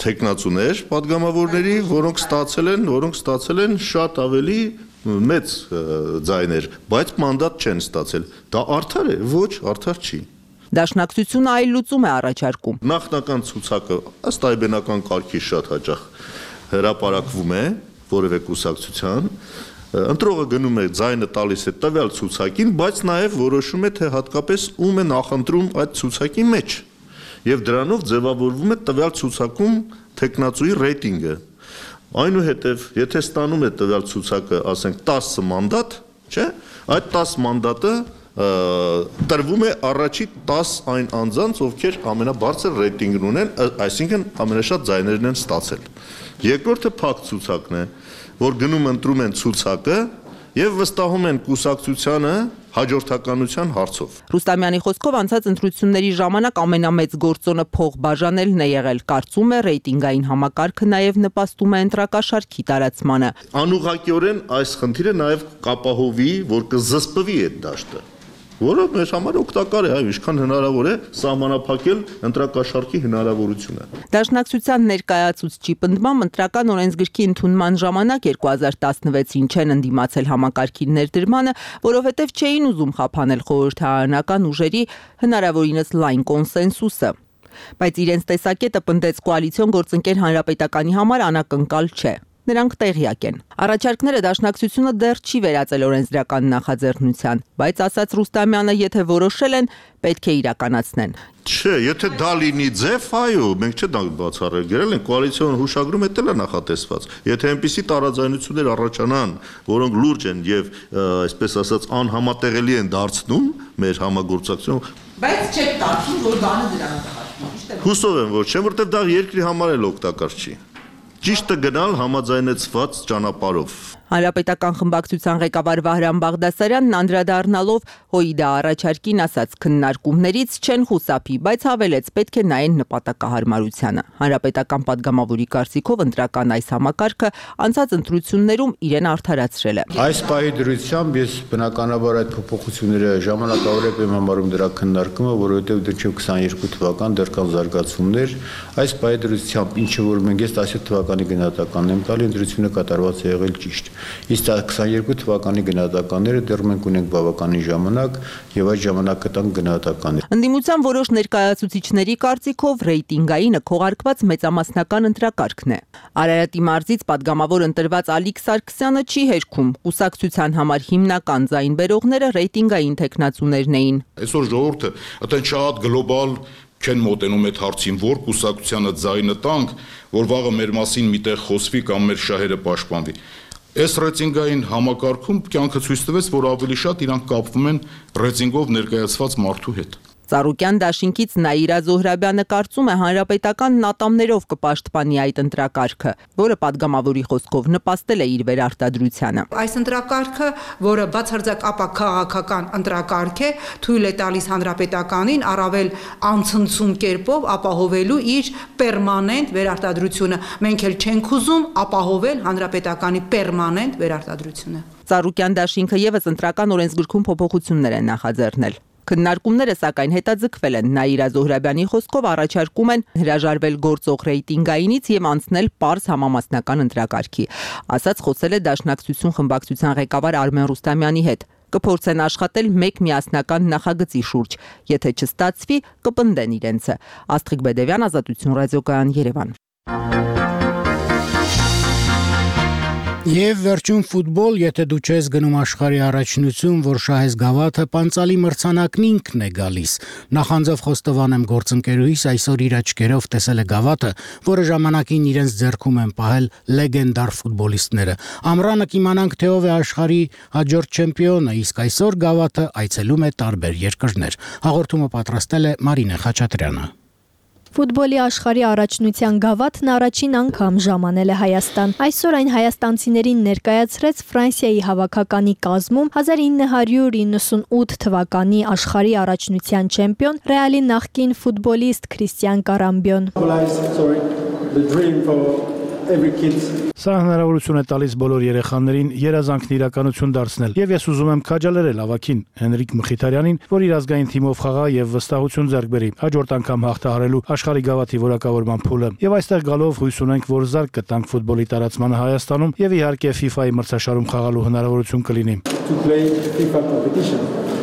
թեկնածուներ պատգամավորների, որոնք ստացել են շատ ավելի մեծ ձայներ, բայց մանդատ չեն ստացել։ Դա արդար է, ոչ, արդար չի։ Դաշնակցությունը այլ լուծում է առաջարկում։ Նախնական ցուցակը ըստ այբենական կարգի շատ հաճախ հրապարակվում է որևէ կուսակցության, ընտրողը գնում է ձայնը տալիս է տվյալ ցուցակին, բայց նաև որոշում է, թե հատկապես ում է նախընտրում այդ ցուցակի մեջ, եւ դրանով ձևավորվում է տվյալ ցուցակում թեկնածուի ռեյտինգը։ Այնուհետև, եթե ստանում է տվյալ ցուցակը, ասենք 10 մանդատ, չէ՞, այդ 10 մանդատը տրվում է առաջի 10 այն անձանց, ովքեր ամենաբարձր ռեյտինգն ունեն, այսինքն ամենաշատ ձայներն են ստացել։ Երկրորդը փակ ցուցակն է, որ գնում ընտրում են ցուցակը եւ վստահում են կուսակցությանը հաջորդականության հարցով։ Ռուստամյանի խոսքով անցած ընտրությունների ժամանակ ամենամեծ գործոնը փող բաժանելն է եղել։ Կարծում է ռեյտինգային համակարգը նաեւ նպաստում է ընտրակաշարքի տարածմանը։ Անուղղակիորեն այս խնդիրը նաեւ կապահովի, որ կզսպվի այդ դաշտը, որը մեր համար օգտակար է, ինչքան հնարավոր է սահմանափակել ընտրակաշարքի հնարավորությունը։ Դաշնակցության ներկայացուցչի պնդմամբ ընտրական օրենսգրքի ընդունման ժամանակ 2016-ին չեն ընդդիմացել համակարգի ներդրմանը, որովհետև չէին ուզում խափանել խորհրդարանական ուժերի հնարավորինս լայն կոնսենսուսը։ Բայց իրենց տեսակետը պնդեց կոալիցիոն գործընկեր Հանրապետականի համար անակնկալ չէ։ Նրանք տեղյակ են։ Առաջարկները դաշնակցությունը դեռ չի վերածել օրենսդրական նախաձեռնության, բայց ասաց Ռուստամյանը, եթե որոշել են, պետք է իրականացնեն։ Չէ, եթե դա լինի ձև, այո, մենք չէ դա բացառել, գրել են կոալիցիոն հուշագրում էլ է նախատեսված։ Եթե այնպիսի տարաձայնություններ առաջանան, որոնք լուրջ են եւ այսպես ասած անհամատեղելի են դարձնում մեր համագործակցությունը, բայց չեք կարծում, որ բանը դրան է։ Հուսով եմ, որ չէ, որտեղ դա երկրի համար էլ օգտակար չի։ Ճիշտը գնալ համաձայնեցված ճանապարհով։ Հանրապետական խմբակցության ղեկավար Վահրամ Բաղդասարյանն անդրադառնալով ՀՕԻԴ-ի առաջարկին ասաց քննարկումներից չեն խուսափի, բայց հավելեց պետք է նայեն նպատակահարմարությանը։ Հանրապետական падգամավորի կարծիքով ընտրական այս համակարգը անցած ընտրություններում իրեն արդարացրել է։ Այս պահի դրությամբ ես բնականաբար այդ փոփոխությունները ժամանակավորեք եմ համարում դրա քննարկումը, որովհետև դեռ 22 թվական դեռ կան զարգացումներ։ Այս պահի դրությամբ ինչը որ մենք ես 17 թվականի գնահատականն եմ տալի, ընտրությունը կատարված է եղել ճիշտ։ Իսկ 22 թվականի գնահատականները դեռ մենք ունենք բավականին ժամանակ եւ այդ ժամանակը տանք գնահատականներ։ Ընդդիմության որոշ ներկայացուցիչների կարծիքով ռեյտինգայինը քողարկված մեծամասնական ընտրակարգն է։ Արարատի մարզից падգամավոր ընտրված Ալիկ Սարգսյանը չի հերքում։ Կուսակցության համար հիմնական ձայն բերողները ռեյտինգային տեխնացուներն էին։ Այսօր ժողովուրդը այդեն շատ գլոբալ չեն մոտենում այդ հարցին, որ կուսակցությանը ձայնը տանք, որ վաղը մեր մասին միտեղ խոսվի կամ մեր շահերը պաշտպանվի։ Այս ռեյտինգային համակարգում կյանքը ցույց տվեց, որ ավելի շատ իրանք կապվում են ռեյտինգով ներկայացված մարդու հետ։ Ծառուկյան դաշինքից Նաիրա Զոհրաբյանը կարծում է հանրապետական ատամներով կպաշտպանի այդ ընտրակարգը, որը падգամավորի խոսքով նպաստել է իր վերարտադրությանը։ Այս ընտրակարգը, որը բացարձակ ապաքաղաքական ընտրակարգ է, թույլ է տալիս հանրապետականին առավել անցնցում կերպով ապահովելու իր պերմանենտ վերարտադրությունը։ Մենք էլ չենք ուզում ապահովել հանրապետականի պերմանենտ վերարտադրությունը։ Ծառուկյան դաշինքը եւս ընտրական օրենսգրքում փոփոխություններ է նախաձեռնել։ Քննարկումները սակայն հետաձգվել են։ Նաիրա Զոհրաբյանի խոսքով առաջարկում են հրաժարվել գործող ռեյտինգայինից եւ անցնել պարզ համամասնական ընտրակարգի։ Ասաց խոսել է Դաշնակցություն խմբակցության ղեկավար Արմեն Ռուստամյանի հետ։ Կփորձեն աշխատել մեկ միասնական նախագծի շուրջ։ Եթե չստացվի, կպնդեն իրենցը։ Աստղիկ Բեդևյան, Ազատություն ռադիոկայան, Երևան։ Եվ վերջում ֆուտբոլ, եթե դու չես գնում աշխարհի առաջնություն, որ շահես գավաթը, պանցալի մրցանակն ինքն է գալիս։ Նախանձով խոստովան եմ գործընկերուհիս այսօր իր աչքերով տեսել է գավաթը, որը ժամանակին իրենց ձեռքում են պահել լեգենդար ֆուտբոլիստները։ Ամռանը կիմանանք, թե ով է աշխարհի հաջորդ չեմպիոնը, իսկ այսօր գավաթը այցելում է տարբեր երկրներ։ Հաղորդումը պատրաստել է Մարինե Խաչատրյանը։ Ֆուտբոլի աշխարհի առաջնության գավաթն առաջին անգամ ժամանել է Հայաստան։ Այսօր այն հայաստանցիներին ներկայացրեց Ֆրանսիայի հավաքականի կազմում 1998 թվականի աշխարհի առաջնության չեմպիոն Ռեալի նախկին ֆուտբոլիստ Քրիստիան Կարամբյոն։ Սա հնարավորություն է տալիս բոլոր երեխաներին երազանքն իրականություն դարձնել։ Եվ ես ուզում եմ քաջալերել ավագին Հենրիկ Մխիթարյանին, որ իր ազգային թիմով խաղա եւ վստահություն ձեռք բերի հաջորդ անգամ հաղթահարելու աշխարհի գավաթի որակավորման փուլը։ Եվ այստեղ գալով հույս ունենք, որ զարգ կտանք ֆուտբոլի տարածմանը Հայաստանում եւ իհարկե FIFA-ի մրցաշարում խաղալու հնարավորություն կլինի։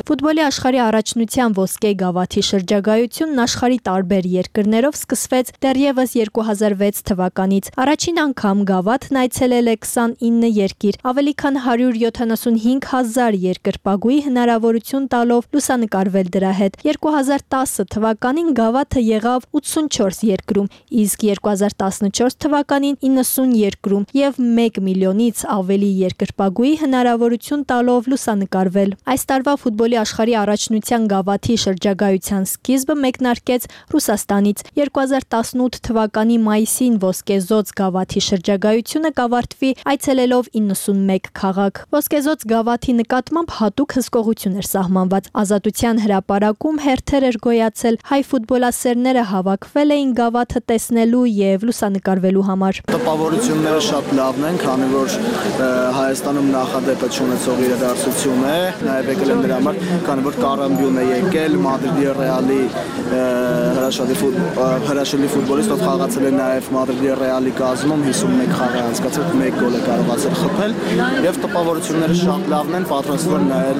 Ֆուտբոլի աշխարհի առաջնության ոսկե գավաթի շրջագայությունն աշխարհի տարբեր երկրներով սկսվեց դեռևս 2006 թվականից։ Առաջին անգամ գավաթն այցելել է 29 երկիր, ավելի քան 175,000 երկրպագուի հնարավորություն տալով լուսանկարվել դրա հետ։ 2010 թվականին գավաթը եղավ 84 երկրում, իսկ 2014 թվականին 90 երկրում եւ 1 միլիոնից ավելի երկրպագուի հնարավորություն տալով լուսանկարվել։ Այս տարվա ֆուտբոլի աշխարհի առաջնության գավաթի շրջագայության սկիզբը մեկնարկեց Ռուսաստանից։ 2018 թվականի մայիսին ոսկեզոծ գավաթի շրջագայությունը կավարտվի այցելելով 91 քաղաք։ Ոսկեզոծ գավաթի նկատմամբ հատուկ հսկողություն էր սահմանված։ Ազատության հրապարակում հերթեր էր գոյացել, հայ ֆուտբոլասերները հավաքվել էին գավաթը տեսնելու եւ լուսանկարվելու համար։ Տպավորությունները շատ լավն են, քանի որ Հայաստանում նախադեպը չունեցող իրադարձություն է, նաեւ եկել են դրա համար, քանի որ Կարամբյոնն է եկել, Մադրիդի Ռեալի հրաշալի ֆուտբոլիստ, ով խաղացել է նաեւ Մադրիդի Ռեալի կազմում, 51 խաղ է անցկացրել, 1 գոլ է կարողացել խփել եւ տպավորությունները շատ լավն են, պատրաստվում նայել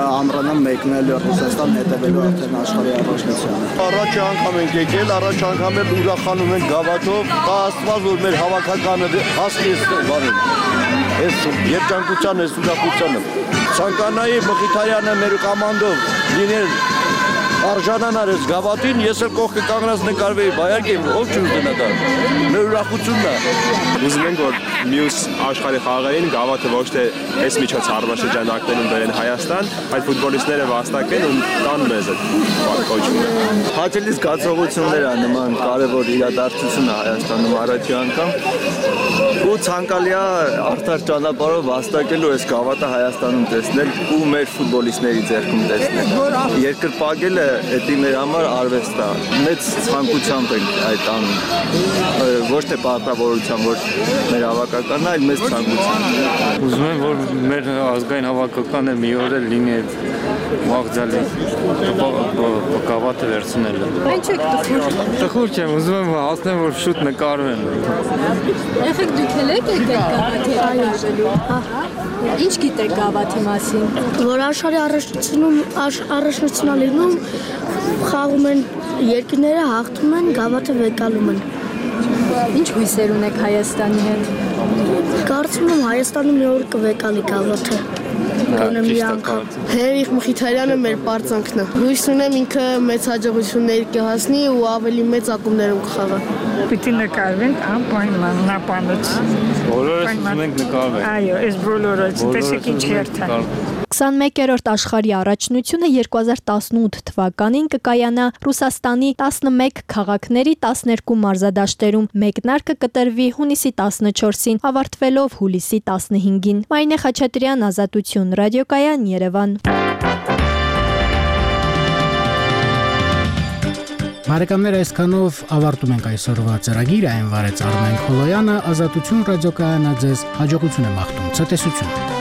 ամռանը մեկնել Ռուսաստան հետևելու արդեն աշխարհի առաջնությանը։ Առաջ անգամ ենք եկել, առաջ անգամ էլ ուրախանում ենք գավաթով, Աստված որ մեր հավաքականը հասնի բանին։ Այս երջանկության, այս ուրախությանը։ Ցանկանայի Մխիթարյանը մեր կոմանդով լինել արժանանար այս գավաթին, ես էլ կողքը կանգնած նկարվեի, բայարկե ով չուզենա դա։ Մեր ուրախությունն է։ Ուզում ենք որ մյուս աշխարհի խաղերին գավաթը ոչ թե այս միջոց առնաշրջանակներում բերեն Հայաստան, այլ ֆուտբոլիստները վաստակեն ու տան մեզ այդ կոչումը։ Հաճելի զգացողություններ է նման կարևոր իրադարձություն է Հայաստանում առաջի անգամ։ Ու ցանկալի է արդար ճանապարհով վաստակելու այս գավաթը Հայաստանում տեսնել ու մեր ֆուտբոլիստների ձեռքում տեսնել։ Երկրպագելը դա մեր համար արվեստ է։ Մեծ ցանկությամբ ենք այդ անում։ Ոչ թե պարտավորությամբ, որ մեր հավաքականն է, այլ մեծ ցանկությամբ։ Ուզում եմ որ մեր ազգային հավաքականը մի օր էլ լինի այդ մաղձալի գավաթը վերցնելը։ Ինչ եք տխուր։ Տխուր չեմ, ուզում եմ հասնեմ որ շուտ նկարվեն։ Եղեք դուք եք գավաթի այժելու։ Ինչ գիտեք գավաթի մասին։ Որ աշխարհի առաջնությունալինում խաղում են երկրները, հաղթում են, գավաթը վեկալում են։ Ինչ հույսեր ունեք Հայաստանի հետ։ Կարծում եմ Հայաստանը մի օր կվեկալի գավաթը։ Գոնե մի անգամ։ Հերիխ Մխիթարյանը մեր պարծանքն է։ Հույս ունեմ ինքը մեծ հաջողություններ կհասնի ու ավելի մեծ ակումբներում կխաղա։ Պիտի նկարվենք անպայման նապանոց։ Բոլորս ուզում ենք նկարվենք։ Այո, այս բոլորս, տեսեք ինչ հերթ է։ 21-րդ աշխարհի առաջնությունը 2018 թվականին կկայանա Ռուսաստանի 11 քաղաքների 12 մարզադաշտերում։ Մեկնարկը կտրվի հունիսի 14-ին, ավարտվելով հուլիսի 15-ին։ Մարինե Խաչատրյան, Ազատություն, ռադիոկայան, Երևան։ Բարեկամներ, այսքանով ավարտում ենք այսօրվա ծրագիրը, այն վարեց Արմեն Խոլոյանը, Ազատություն ռադիոկայանը ձեզ հաջողություն է մաղթում, ցտեսություն։